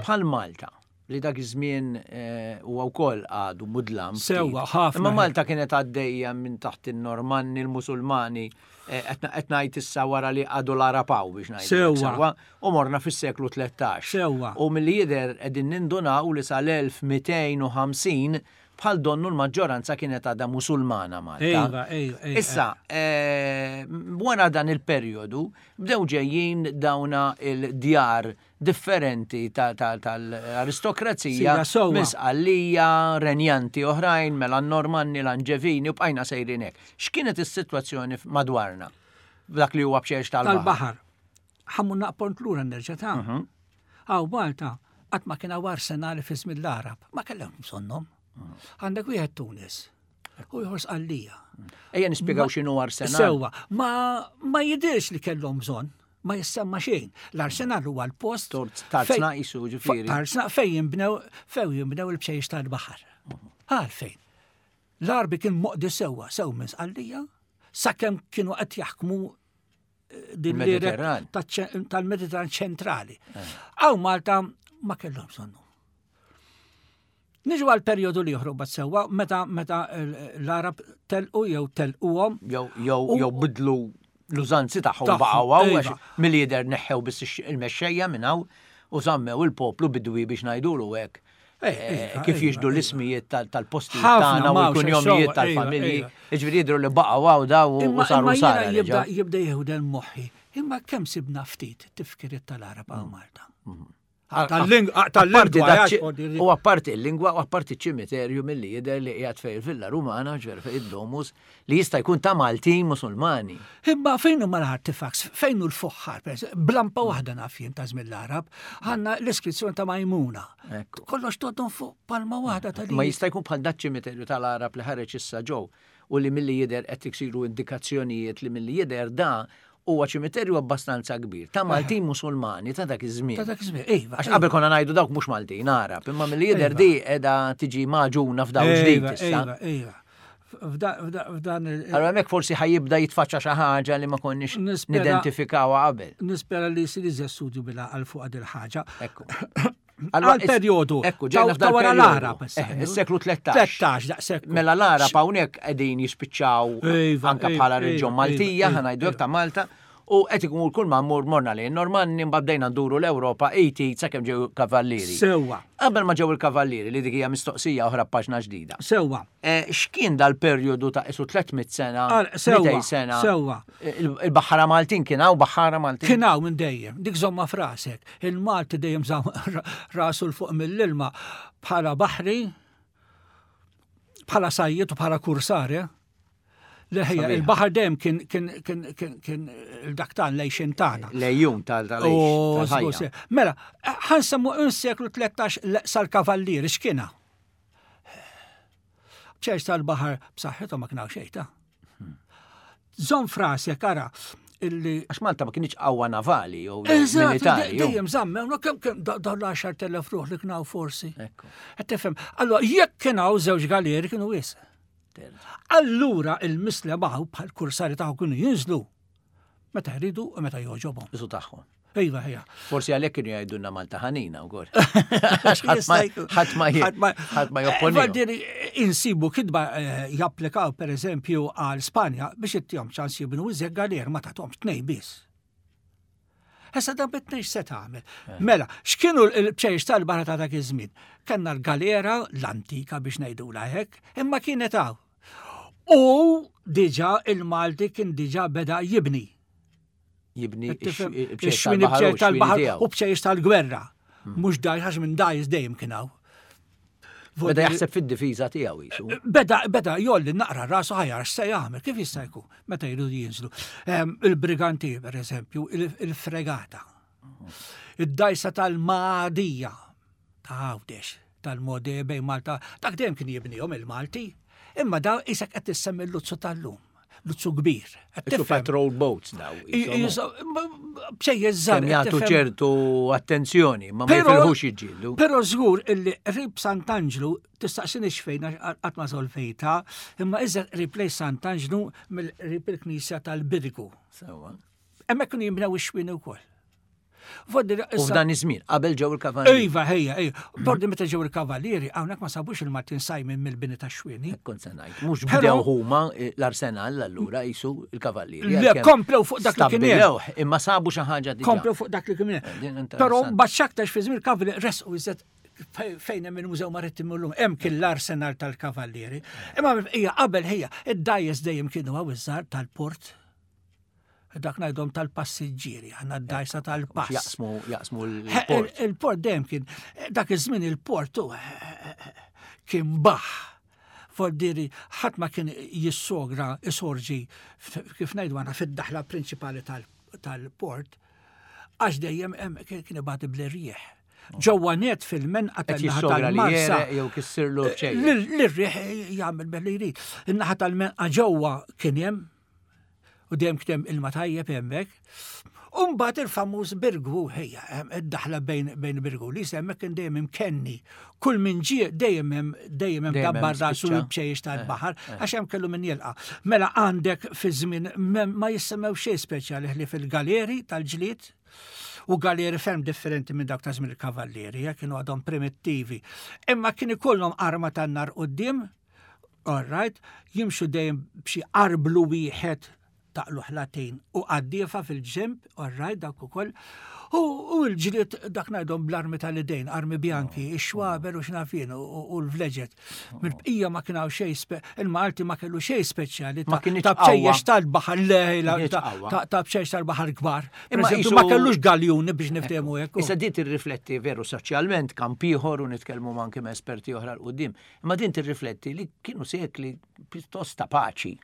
Bħal Malta, li dak iż-żmien eh, huwa wkoll għadu mudlam. ftit. Sewwa, ħafna. Imma Malta kienet għaddejja minn taħt in-Normanni, il-Musulmani, eh, qed qed ngħid issa wara li għadu l-Arapaw biex ngħid. Sewwa. U morna fis-seklu tlettax. Sewwa. U milli jidher qegħdin nindunaw li sal-elf mitejn u ħamsin bħal donnu l-maġġoranza kienet għadha Musulmana Malta. Ejva, ejva, ejva. Issa, eh, wara dan il-perjodu, bdew ġejjin dawna il-djar differenti tal-aristokrazija, Sija, sewwa. minn Sqallija, renjanti oħrajn, mela n-Normanni, l-Anġevini, u bqajna sejrin hekk. X'kienet is-sitwazzjoni madwarna? Dak li huwa bċejjex tal-baħar. Tal-baħar. Ħammu naqpont lura nerġa' ta' Għaw Malta, qatt ma kien hawn arsenali fi żmien l-Arab, ma kellhom bżonnhom. Għandek wieħed Tunis u ieħor Sqallija. Ejja nispjegaw x'inhu arsenal. Sewwa, ma, ma jidirx li kellhom bżonn, ma jissemma xejn. L-arsenal huwa l-post Tarzna fej- isu ġifieri. Tarzna fejn jinbnew fejn jinbnew il-bċejjex tal-baħar. Għalfejn. L-Arbi kien moqdi sewwa sew minn Sqallija, sakemm kienu qed jaħkmu eh, din l-area Il-Mediterran. taċ- tal-Mediterran ċentrali. Għaw Malta ma kellhom bżonnu. Niġu għal perjodu li joħrob bat sewwa meta meta l-Arab telqu jew telquhom Jew jew jew bidlu l-użanzi tagħhom Tagħhom, baqgħu hawn iva. għax mill-jidher neħħew biss ix- il-mexxejja minn hawn u żammew il-poplu bidwi biex ngħidulu hekk. Eh, Eh, iva, Kif iva, jiġdu iva. l-ismijiet tal- tal-postijiet Ħafna tagħna u m'hawnx, l-kunjomijiet sewwa, tal-familji. iva, Jiġifieri jidhru li baqgħu hawn daw u Imma saru imma jiena sara. jibda reġgħu. jibda jieħu moħħi. Imma kemm sibna ftit tifkiriet tal-Arab għaw Malta. Apparti Tal-lingwa, dak ċi- U apparti il-lingwa u apparti ċimiterju milli jidher li qiegħed fejn il-Villa Rumana, ġver fejn id-Domus, li jista' jkun ta' Maltin Musulmani. Imma fejn huma l-artifacts, fejn hu l-fuħħar, per eżempju, blampa waħda naf jien ta' żmien l-Arab, għandna l-iskrizzjoni ta' Majmuna. Ekku. Kollox toddon fuq palma waħda ta' Ma jista' jkun bħal dak ċimiterju tal-Arab li ħareġ issa ġew u li milli jidher qed iksiru indikazzjonijiet li milli jidher da huwa ċimiterju abbastanza kbir ta' Maltin Musulmani ta' dak iż-żmien. Ta' dak iż-żmien, iva. Għax qabel konna ngħidu dawk mhux Maltin Arab, imma milli jidher di qiegħda tiġi maġuna f'daw ġdid Iva, issa. iva, iva. F'da- f'da- F'dan il- Allora hemmhekk forsi ħajibda jitfaċċa xi ħaġa li ma konniex Nispera- nidentifikawha qabel. Nispera li jsir iżjed studju bila għal fuq il ħaġa. Ekku. Għal perjodu. Ekku, ġejna ta' f'dal wara perjodu. l-Arab. issa. Eh, Is-seklu tlettax. tlettax, daqshekk. Mela l-Arab hawnhekk qegħdin jispiċċaw Iva, anka iva, bħala reġjon iva, Maltija, iva, ħa ngħidu hekk iva. ta' Malta, u qed ikun kull ma mmur morna lejn Normanni mbagħad bdejna nduru l-Ewropa eighty sakemm ġew kavallieri. Sewwa, Qabel ma ġew il-kavallieri li dik hija mistoqsija oħra paġna ġdida. sewwa. Eh, X'kien dal-perjodu ta' isu tliet mitt sena, Għal, sewwa, mitejn sena? sewwa. Il- Il-baħħara Maltin kien hawn baħħara Maltin. Kien hawn minn dejjem, dik żomma frasek. Il-Malti dejjem żamm rasu l fuq mill-ilma bħala baħri, bħala sajjiet u bħala kursar, eh? Leħja, Sabiħa. il-baħar dejjem kien kien kien kien kien il-dak tan lejxin tagħna. Lejjun tal tal Oh, tal-ħajja. żgur, Mela, ħansemmu seklu tlettax sal-kavallieri x'kiena? Bċejx tal-baħar b'saħħithom ma kienaw xejn ta'. Żomm frasek ara illi Għax Malta ma kienx qawwa navali jew Eżatt, militari. jew- dejjem żammew, no, kemm kemm da- dawn l-għaxart elef ruħ li kienaw forsi. Ekku. Qed tifhem, allora jekk kienaw żewġ galeri kienu wisq. Allura il-mislemaw bħal kursari taħu kienu jinżlu. Meta jridu u meta jogħġobhom. Isu tagħhom. Iva, ejja. Forsi għalhekk kienu jgħidulna Malta ħanina wkoll. Għax ħadd ma ħadd ma jopponi. Voldiri insibu kitba eh, japplikaw per eżempju għal Spanja biex ittihom ċans jibnu iżjed galer ma tagħthomx tnej biss. Issa dan bit-tnejn se tagħmel. Mela, x'kienu l-bċejjeċ tal-baħar ta' dak iż-żmien? Kellna l-galera l-antika biex ngħidulha hekk, imma kienet hawn. U diġà il-Malti kien diġà beda jibni. Jibni Ix-xwini bċejjeċ tal-baħar u bċejjeċ tal-gwerra. Mhux dgħajjes għax minn dgħajjes dejjem kien hawn. Beda jaħseb fid-difiża tiegħu jisu. Beda, beda jolli naqra rasu ħajar x'se jagħmel, kif jista' jkun meta jridu jinżlu. Ehm, Il-briganti, per eżempju, il- il-fregata, id-dajsa tal-Madija, ta' Għawdex, tal-Mode bejn Malta, dak dejjem kien jibnihom il-Malti, imma da isek qed tissemmi l-luzzu tal-lum, luzzu kbir. Qed Isu tifhem? patrol boats daw. Bċejjeċ żgħar. Kemm jagħtu ċertu attenzjoni, ma ma Però- jifilħux jiġġieldu. Però żgur illi qrib Sant'Anġlu tistaqsini x'fejn għax qatt ma solvejta, imma iżgħar qrib lejn Sant'Anġlu mill-qrib il-Knisja tal-Birgu. Sewwa. Hemmhekk kienu jinbnew ix-xwien ukoll. Voddi U f'dan iż-żmien qabel ġew il-kavallieri. Iva, ejja, ejja. Bordi meta ġew il-kavallieri, hawnhekk ma sabux il-Maltin sajmin mill-bini tax-xwieni. Kont se ngħid, mhux Però- bdew huma eh, l-arsenal allura jisu il-kavallieri. Le, għalkemm komplew fuq dak li kien hemm. stabbilewh, imma sabu xi ħaġa diġà. Komplew fuq dak li kien Eh, hemm. din interessanti. Però mbagħad x'aktarx fi żmien il-kavallieri resqu iżjed fejn hemm il-Mużew Marittimu llum, hemm kien l-arsenal tal-kavallieri. Imma hija qabel ħija, id-dgħajjes dejjem kienu hawn iż-żgħar tal-port. Dak ngħidhom tal-passiġġieri, għandna d-dgħajsa tal-pass. Jaqsmu jaqsmu He, l-port. il- Il-port dejjem kien, dak iż-żmien il-port u kien baħ. Voldiri, ħadd ma kien jissogra, isorġi, f- kif ngħidu għana fid-daħla prinċipali tal- tal-port, għax dejjem hemm kien kien ibati bl-rieħ. Ġewwa net fil-menqa Qed tan-naħa jissogra li tal-Marsa. jereq jew kissirlu b'xejn. L-rieħ jagħmel belli jrid. In-naħa tal-menqa ġewwa kien hemm u dejjem kien hemm ilma tajjeb hemmhekk. U mbagħad il-famuż Birgu ħejja, hemm id-daħla bejn bejn Birgu li hemmhekk kien dejjem imkenni. Kull min ġie dejjem hemm dejjem hemm Dejjem hemm dabbar rasu spiċċa. l-bċejjex tal-baħar għax hemm kellu min jilqa'. Mela għandek fi żmien ma jissemmew xejn speċjali ħlief il-galeri tal-ġlied u galeri ferm differenti minn dak ta' żmien il-kavallieri, eh, kienu għadhom primittivi. Imma kien ikollhom arma tan-nar quddiem, all right, jimxu dejjem b'xi arblu wieħed taqlu ħlatin u qaddiefa fil-ġemp, all right, dak ukoll. U, u l-ġlied dak ngħidhom bl-armi tal-idejn, armi bjanki, ix-xwaber u xnafin u, u l-vleġet. Mill-bqija ma kien hawn xejn spe- il-Malti ma kellu xejn speċjali Ma ta' kinitx ta' bċejjex qawwa. tal-baħar lejla, Kinitx ta' qawwa. ta' ta' bċejjex tal-baħar kbar. Per Imma eżempju, isu- ma kellux galjuni biex niftehmu hekk. Issa din tirrifletti veru soċjalment kamp ieħor u nitkellmu ma' anke ma' esperti oħra 'l quddiem. Imma din tirrifletti li kienu sekli pjuttost ta' paċi.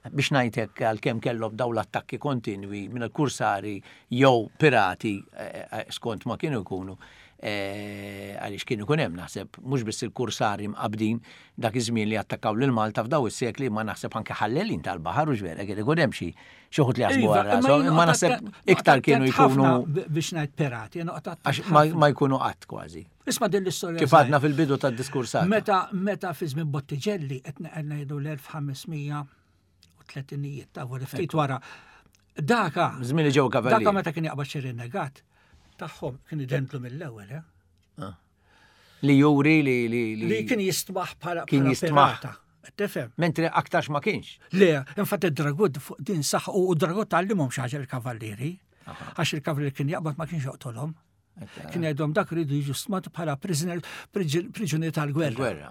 Biex ngħidlek għalkemm kellhom daw l-attakki kontinwi minn il-kursari jew pirati eh, eh, skont ma kienu jkunu eh, għaliex kienu jkun hemm naħseb mhux biss il-kursari mqabdin dak iż-żmien li attakkaw lil Malta f'daw is-sekli ma naħseb anke ħallelin tal-baħar u ġvera kien ikun hemm xi xi wħud li jaħsbu Iva, għal rashom, jien imma noqgħod naħseb attent- iktar noqgħod kienu attent jkunu ħafna b- biex ngħid pirati, jien noqgħod attent għax ma, ħafna. ma jkunu qatt kważi. Isma' din l-istorja. Kif żgħira. għadna fil-bidu tad-diskursata. Meta meta fi żmien Bottigelli qed ngħidu l-elf ħames mija u tletinijiet ta' wara ftit wara. Daka Żmien li ġew daka kavallieri. meta kien jaqbad xi rinnegat tagħhom kien identlu mill-ewwel, eh? Li juri li li li, Li kien jistmaħ bħala Kien bħala jistmaħ. pirata. Tifhem? Mentri aktarx ma kienx. Le, infatti id-Dragut fuq din saħ u d-Dragut tgħallimhom xi ħaġa l-kavallieri. Għax il-kavallieri kien jaqbad ma kienx joqtolhom. Kien jgħidhom dak rridu jiġu stmati bħala prisoner priġunier tal-gwerra. Gwerra.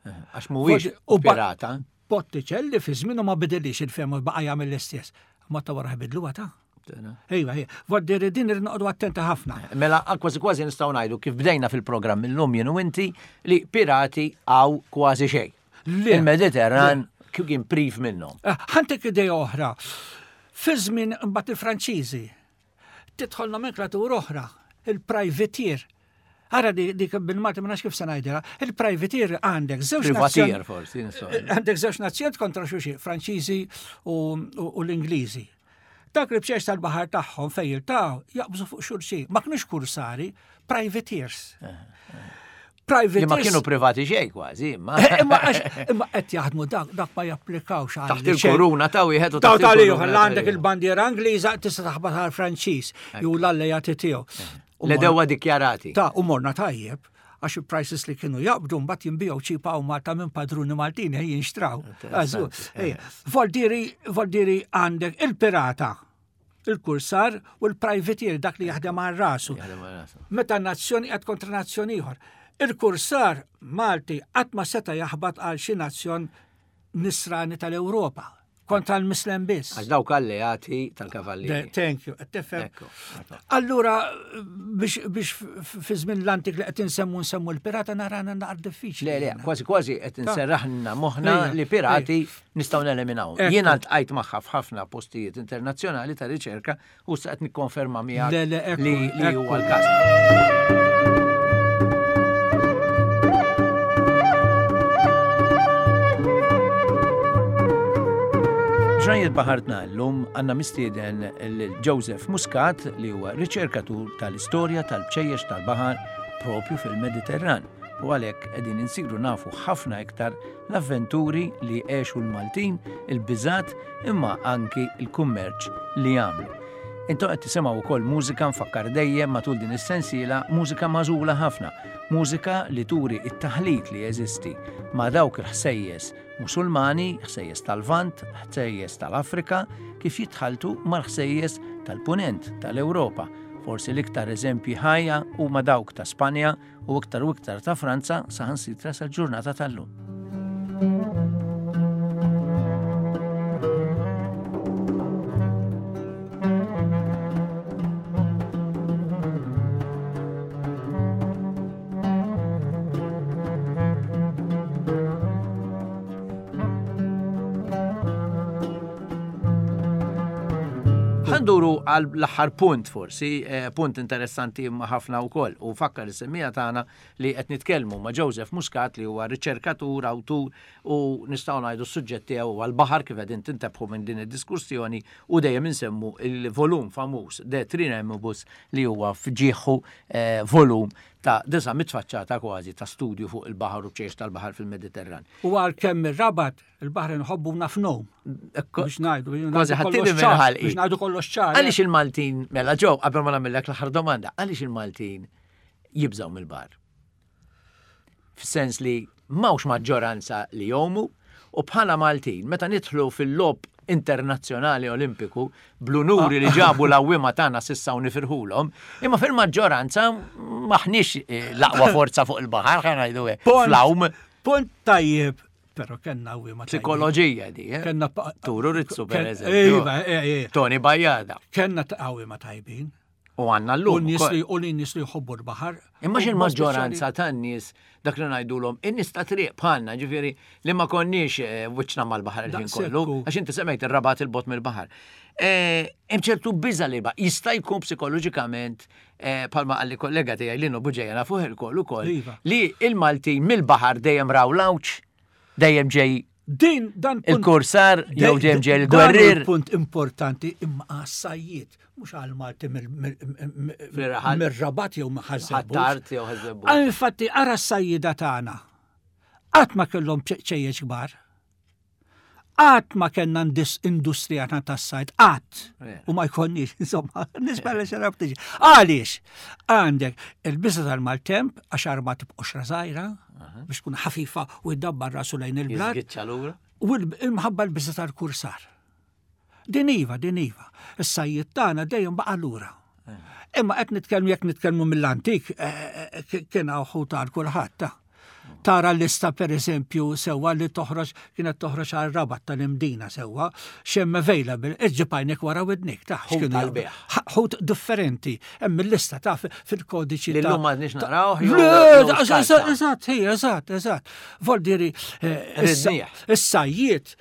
Eh, Għax mhuwiex U ba- pirata. Botticelli fi żmienu ma bidilix il-fehma baqa' jagħmel l-istess. Ma ta' wara bidluha ta' Ejwa, ejwa. Voldiri din irid noqogħdu attenti ħafna. Mela, kważi kważi nistgħu ngħidu kif bdejna fil-programm illum jien u inti li pirati għaw kważi xejn. Le. Il-Mediterran kif kien priv minnhom. Eh, Ħantek idea oħra. Fi żmien imbagħad il-Franċiżi tidħol nomenklatura oħra, il-privateer. Ara di dik bil-Malti ma nafx kif se ngħidilha, il-privateer għandek żewġ Privatier nazzjon- forsi. nistgħu. Għandek żewġ nazzjonijiet kontra xulxin, Franċiżi u, u, u l-Ingliżi. Dak li bċejjeċ tal-baħar tagħhom fejn jiltaqgħu jaqbżu fuq xulxin. Ma kinux kursari, privateers. Private Li ma kienu privati xejn kważi, imma. Imma imma qed jaħdmu dak dak ma japplikawx għal. Taħt il-kuruna ta' wieħed u taħt il-kuruna. Għandek il-bandiera Ingliża tista' taħbat għal Franċiż jew l-allejati tiegħu. Le dewwa dikjarati. Ta' u morna tajjeb għax il-prices li kienu jaqbdu mbagħad jinbiegħu ċipa u Malta minn padruni Maltin jinxtraw. Voldiri, voldiri għandek il-pirata, il-kursar u l-privateer dak li jaħdem għal rasu. Meta nazzjoni qed kontra nazzjoni ieħor. Il-kursar Malti qatt ma seta' jaħbat għal xi nazzjon nisrani tal-Ewropa kontra l-Mislem biss. Għax dawk alleati tal-kavallieri. Thank you, tifhem. Allura biex biex fi żmien l-antik li qed insemmu nsemmu l-pirata narana naqra diffiċli. Le, le, kważi kważi qed inserraħna moħħna li pirati nistgħu neliminaw. Jiena ltqajt magħha f'ħafna postijiet internazzjonali ta' riċerka u sa qed nikkonferma miegħek li huwa l-każ. Ġrajiet Baħartna llum għandna mistieden lil Joseph Muscat li huwa riċerkatur tal-istorja tal-bċejjex tal-baħar propju fil-Mediterran u għalhekk qegħdin insiru nafu ħafna iktar l-avventuri li għexu l-Maltin, il-biżat imma anki il-kummerċ li għamlu. Intom qed tisimgħu wkoll mużika nfakkar dejjem matul din is-sensiela mużika magħżula ħafna, mużika li turi it-taħlit li jeżisti ma' dawk il-ħsejjes Musulmani, ħsejjes tal-Lvant, ħsejjes tal-Afrika, kif jitħaltu mal-ħsejjes tal-Punent tal-Ewropa. Forsi l-iktar eżempji ħajja huma dawk ta' Spanja u iktar u iktar ta' Franza saħansitra sal-ġurnata tal-lum. Nduru għal l-aħħar punt forsi, punt interessanti imma ħafna wkoll u fakkar is-semmija tagħna li qed nitkellmu ma' Joseph Muscat li huwa riċerkatur, awtur u nistgħu ngħidu s-suġġett tiegħu huwa l-baħar kif qegħdin tintebħu minn din id-diskussjoni u dejjem insemmu il-volum famuż De Triremibus li huwa fġieħu volum ta' disa' mitfaċċata kważi ta' studju fuq il-baħar u bċejjex tal-baħar fil-Mediterran. U għalkemm ir-Rabat il-baħar inħobbu nafnhom. Biex ngħidu, kważi ħattili minn ħalqi. Biex ngħidu kollox ċar. Għaliex il-Maltin, mela ġew, qabel ma nagħmellek l-aħħar domanda, għaliex il-Maltin jibżgħu mill-baħar? Fis-sens li m'hawnx maġġoranza li jgħumu u bħala Maltin, meta nidħlu fil-logħob internazzjonali olimpiku bl-unuri li ġabu l-għawwiema tagħna sissa u nifirħulhom, imma fil-maġġoranza maħniex l-aqwa forza fuq il-baħar, ħa ngħidu hekk, fl-għawm. Punt tajjeb, però kellna għawwiema tajjeb. Psikoloġija di, eh? Kellna Turu Rizzu, per eżempju. Iva, eh, Tony Bajada. Kellna għawwiema tajbin. U għandna llum. U nies li jħobbu l-baħar. Imma il-maġġoranza tan-nies dak li ngħidulhom in-nies ta' triq bħalna, ġifieri li ma konniex wiċċna mal-baħar il-ħin kollu, għax inti semmejt ir-Rabat il-bot mill-baħar. Hemm ċertu biża' li jista' jkun psikoloġikament bħalma qalli kollega tiegħi Lino Buġeja nafuh il-koll ukoll li il-Maltin mill-baħar dejjem raw l-għawġ, dejjem ġej Din dan il-kursar jew dejjem ġej il-gwerrier. Punt importanti imma għas-sajjiet, mhux għal Malti mir-Rabat jew Ħaż-Żebbuġ. Ħ'Attard jew Ħaż-Żebbuġ. Infatti ara s-sajjieda tagħna. Qatt ma kellhom ċejjeġ kbar. Qatt ma kellna industrija tas-sajd, qatt. U ma jkollniex, insomma, nispera xi darba tiġi. Għaliex? Għandek il-biża tal-maltemp għax arma tibqa' żgħira biex tkun ħafifa u jdabbar rasu lejn il-blat. Jiżgiċċa lura. U l-imħabba l-biża tal-kursar. Din iva, din iva. Is-sajjied tagħna dejjem baqa' lura. Imma qed nitkellmu jekk nitkellmu mill-antik, kien hawn ħut għal kulħadd ta'. Tara l-lista per eżempju sewwa li toħroġ kienet toħroġ għal Rabat tal-Imdina sewwa x'hemm available, iġġib għajnek wara widnik ta' Ħut x'kienu għall-bejgħ. ħut differenti. Hemm il-lista ta' fil-kodiċi Li ta' llum m'għadniex naraw jew Le, jew eżatt, skarta. eżatt, hija, eżatt, eżatt. Voldiri, Ridnieh. is-sajjied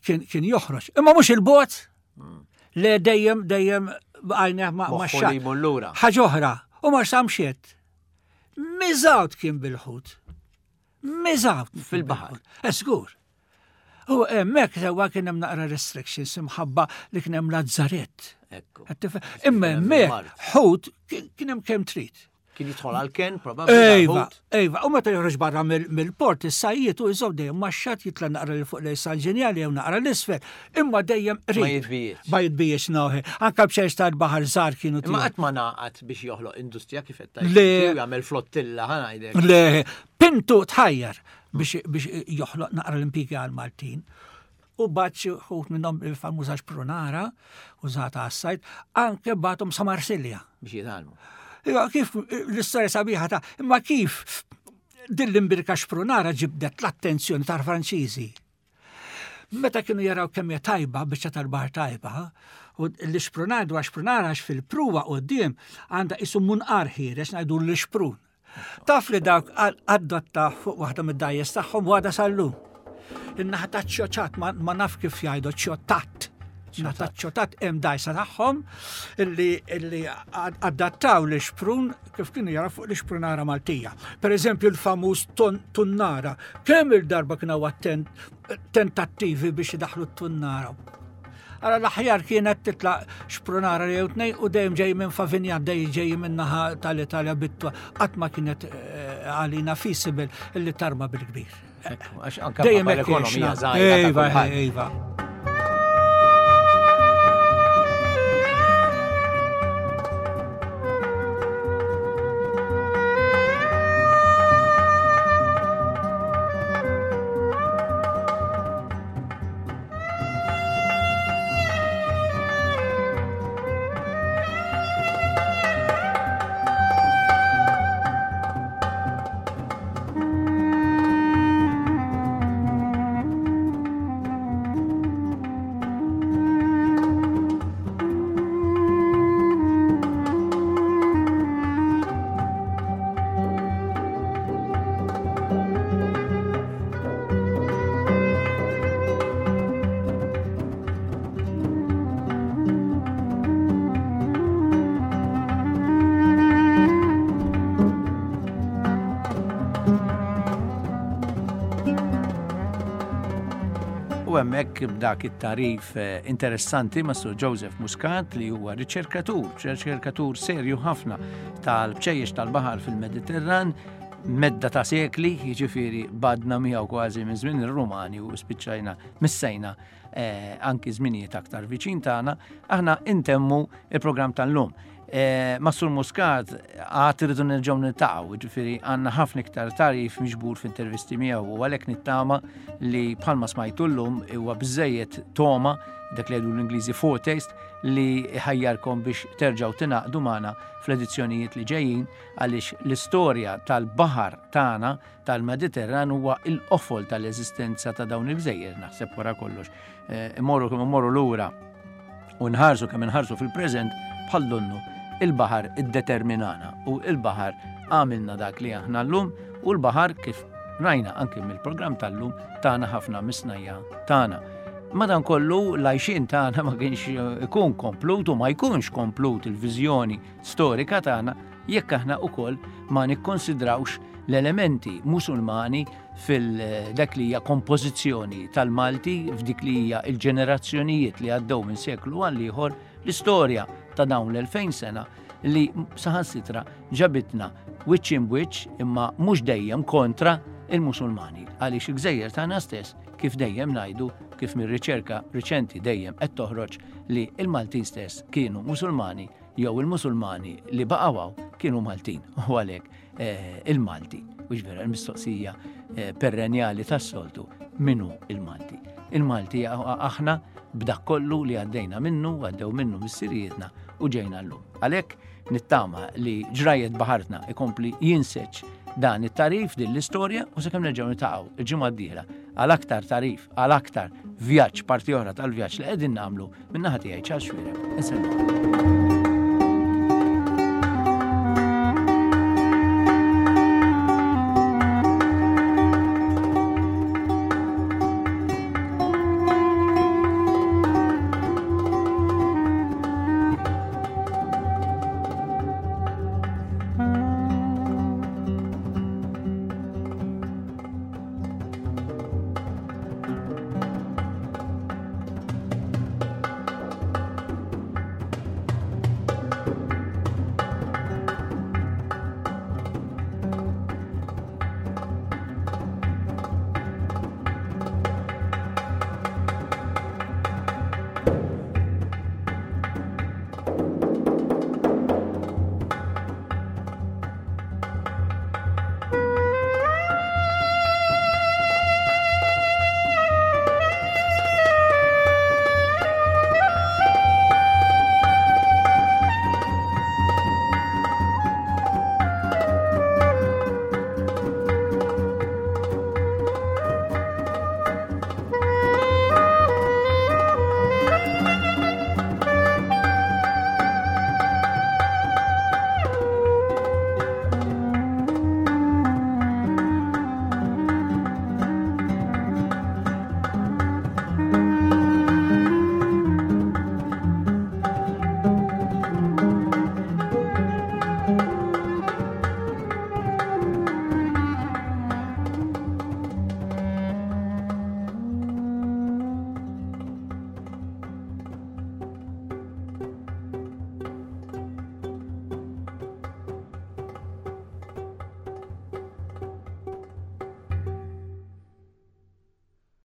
kien kien joħroġ. Imma mhux il-bot. Le dejjem dejjem għajneh ma' Moħħu xatt. li jmur lura. Ħaġa oħra, u ma samxiet. Miżgħud kien bil-ħut. Miżgħud Fil-baħar. Żgur. U hemmhekk sewwa kien hemm naqra restrictions imħabba li kien hemm lazzarett. Ekku. Imma hemmhekk ħut kien hemm kemm trid. Kien jidħol għal-ken, probabbli. Ejva, ejva, u meta joħroġ barra mill-port, is-sajjiet u jżomm dejjem maxxat jitla' naqra l fuq lejn San Ġenjali jew naqra l-isfel, imma dejjem qrib. Ma jitbijiex. Ma jitbijiex noħi. Anke b'xejn tal-baħar żgħar kienu. Imma qatt ma naqat biex joħloq industrija kif qed tgħid. Jagħmel flottilla ħa ngħidlek. Le, Pintu tħajjar biex joħloq naqra l-impjiegi għal-Maltin. U bat xi wħud minnhom il-famuża xprunara użata għas-sajt, anke bathom sa Marsilja. Biex jitgħallmu. Iva, kif l-istorja sabiħa ta' imma kif din l-imbirka xprunara ġibdet l-attenzjoni tal-Franċiżi. Meta kienu jaraw kemm hija tajba, biċċa tal-baħar tajba, u l-xprunar dwar xprunara għax fil-pruwa quddiem għandha isu munqar ħiereġ ngħidu l-xprun. Taf li dawk adotta fuq waħda mid-dajjes tagħhom għadha sal-lum. In-naħa ta' ċoċat, ma naf kif jgħidu ċotat. Naħa ta' ċotat hemm dajsa tagħhom illi adattaw l-xprun kif kienu jaraw fuq l-xprunara Maltija. Per eżempju l-famuż tunnara. Kemm il-darba kienu tentattivi biex idaħlu t-tunnara. Ara l-aħjar kienet titlaq xprunara jew tnejn u dejjem ġej minn Favinjan, dejjem ġej minn naħa tal-Italja bitwa, qatt ma kienet għalina feasible illi tarma bil-kbir. Għax anke l-ekonomija żgħira. Ejva, ejva. Hemmhekk b'dak it-tarif interessanti ma' Sur Joseph Muscat li huwa riċerkatur, riċerkatur serju ħafna tal-bċejjex tal-baħar fil-Mediterran, medda ta' sekli, jiġifieri badna miegħu kważi minn żmien ir-Rumani u spiċċajna missejna anki żminijiet aktar viċin tagħna, aħna intemmu il-programm tal-lum. Ma' Sur Muscat għad irridu nerġgħu niltaqgħu, jiġifieri għandna ħafna iktar tarif miġbur f'intervisti miegħu u għalhekk nittama li bħalma smajtu llum huwa biżejjed toma dak li jgħidu l-Ingliżi foretaste li ħajjarkom biex terġgħu tingħaqdu magħna fl-edizzjonijiet li ġejjin għaliex l-istorja tal-baħar tagħna tal-Mediterran huwa l-qofol tal-eżistenza ta' dawn il-gżejjer naħseb wara kollox. Immorru kemm immorru lura u nħarsu kemm inħarsu fil-preżent bħal donnu il-baħar iddeterminana u il-baħar għamilna dak li aħna llum u l-baħar kif rajna anke mill-programm tal-lum tagħna ħafna misnajja tagħna. Madankollu l-għajxien tagħna ma kienx ikun komplut u ma jkunx komplut il-viżjoni storika tagħna jekk aħna wkoll ma nikkonsidrawx l-elementi musulmani fil-dak li hija kompożizzjoni tal-Malti f'dik li hija l-ġenerazzjonijiet li għaddew minn seklu għal ieħor l-istorja ta' dawn l-elfejn sena li saħansitra ġabitna wiċċ imbwiċċ imma mhux dejjem kontra il-Musulmani għaliex il-gżejjer tagħna stess kif dejjem ngħidu kif mir-riċerka riċenti dejjem qed toħroġ li l-Maltin stess kienu Musulmani jew il-Musulmani li baqgħu kienu Maltin u għalhekk il-Malti. U vera l-mistoqsija perenjali tas-soltu min hu il-Malti. Il-Malti aħna b'dak kollu li għaddejna minnu, għaddew minnu missirijietna u ġejna llum. Għalhekk nittama li ġrajiet baħartna ikompli jinseġ dan it-tarif din l-istorja u sakemm nerġgħu niltaqgħu il-ġimgħa d-dieħla għal aktar tarif, għal aktar vjaġġ, parti oħra tal-vjaġġ li qegħdin nagħmlu min-naħa tiegħi Charles Xuereb. Insellmu.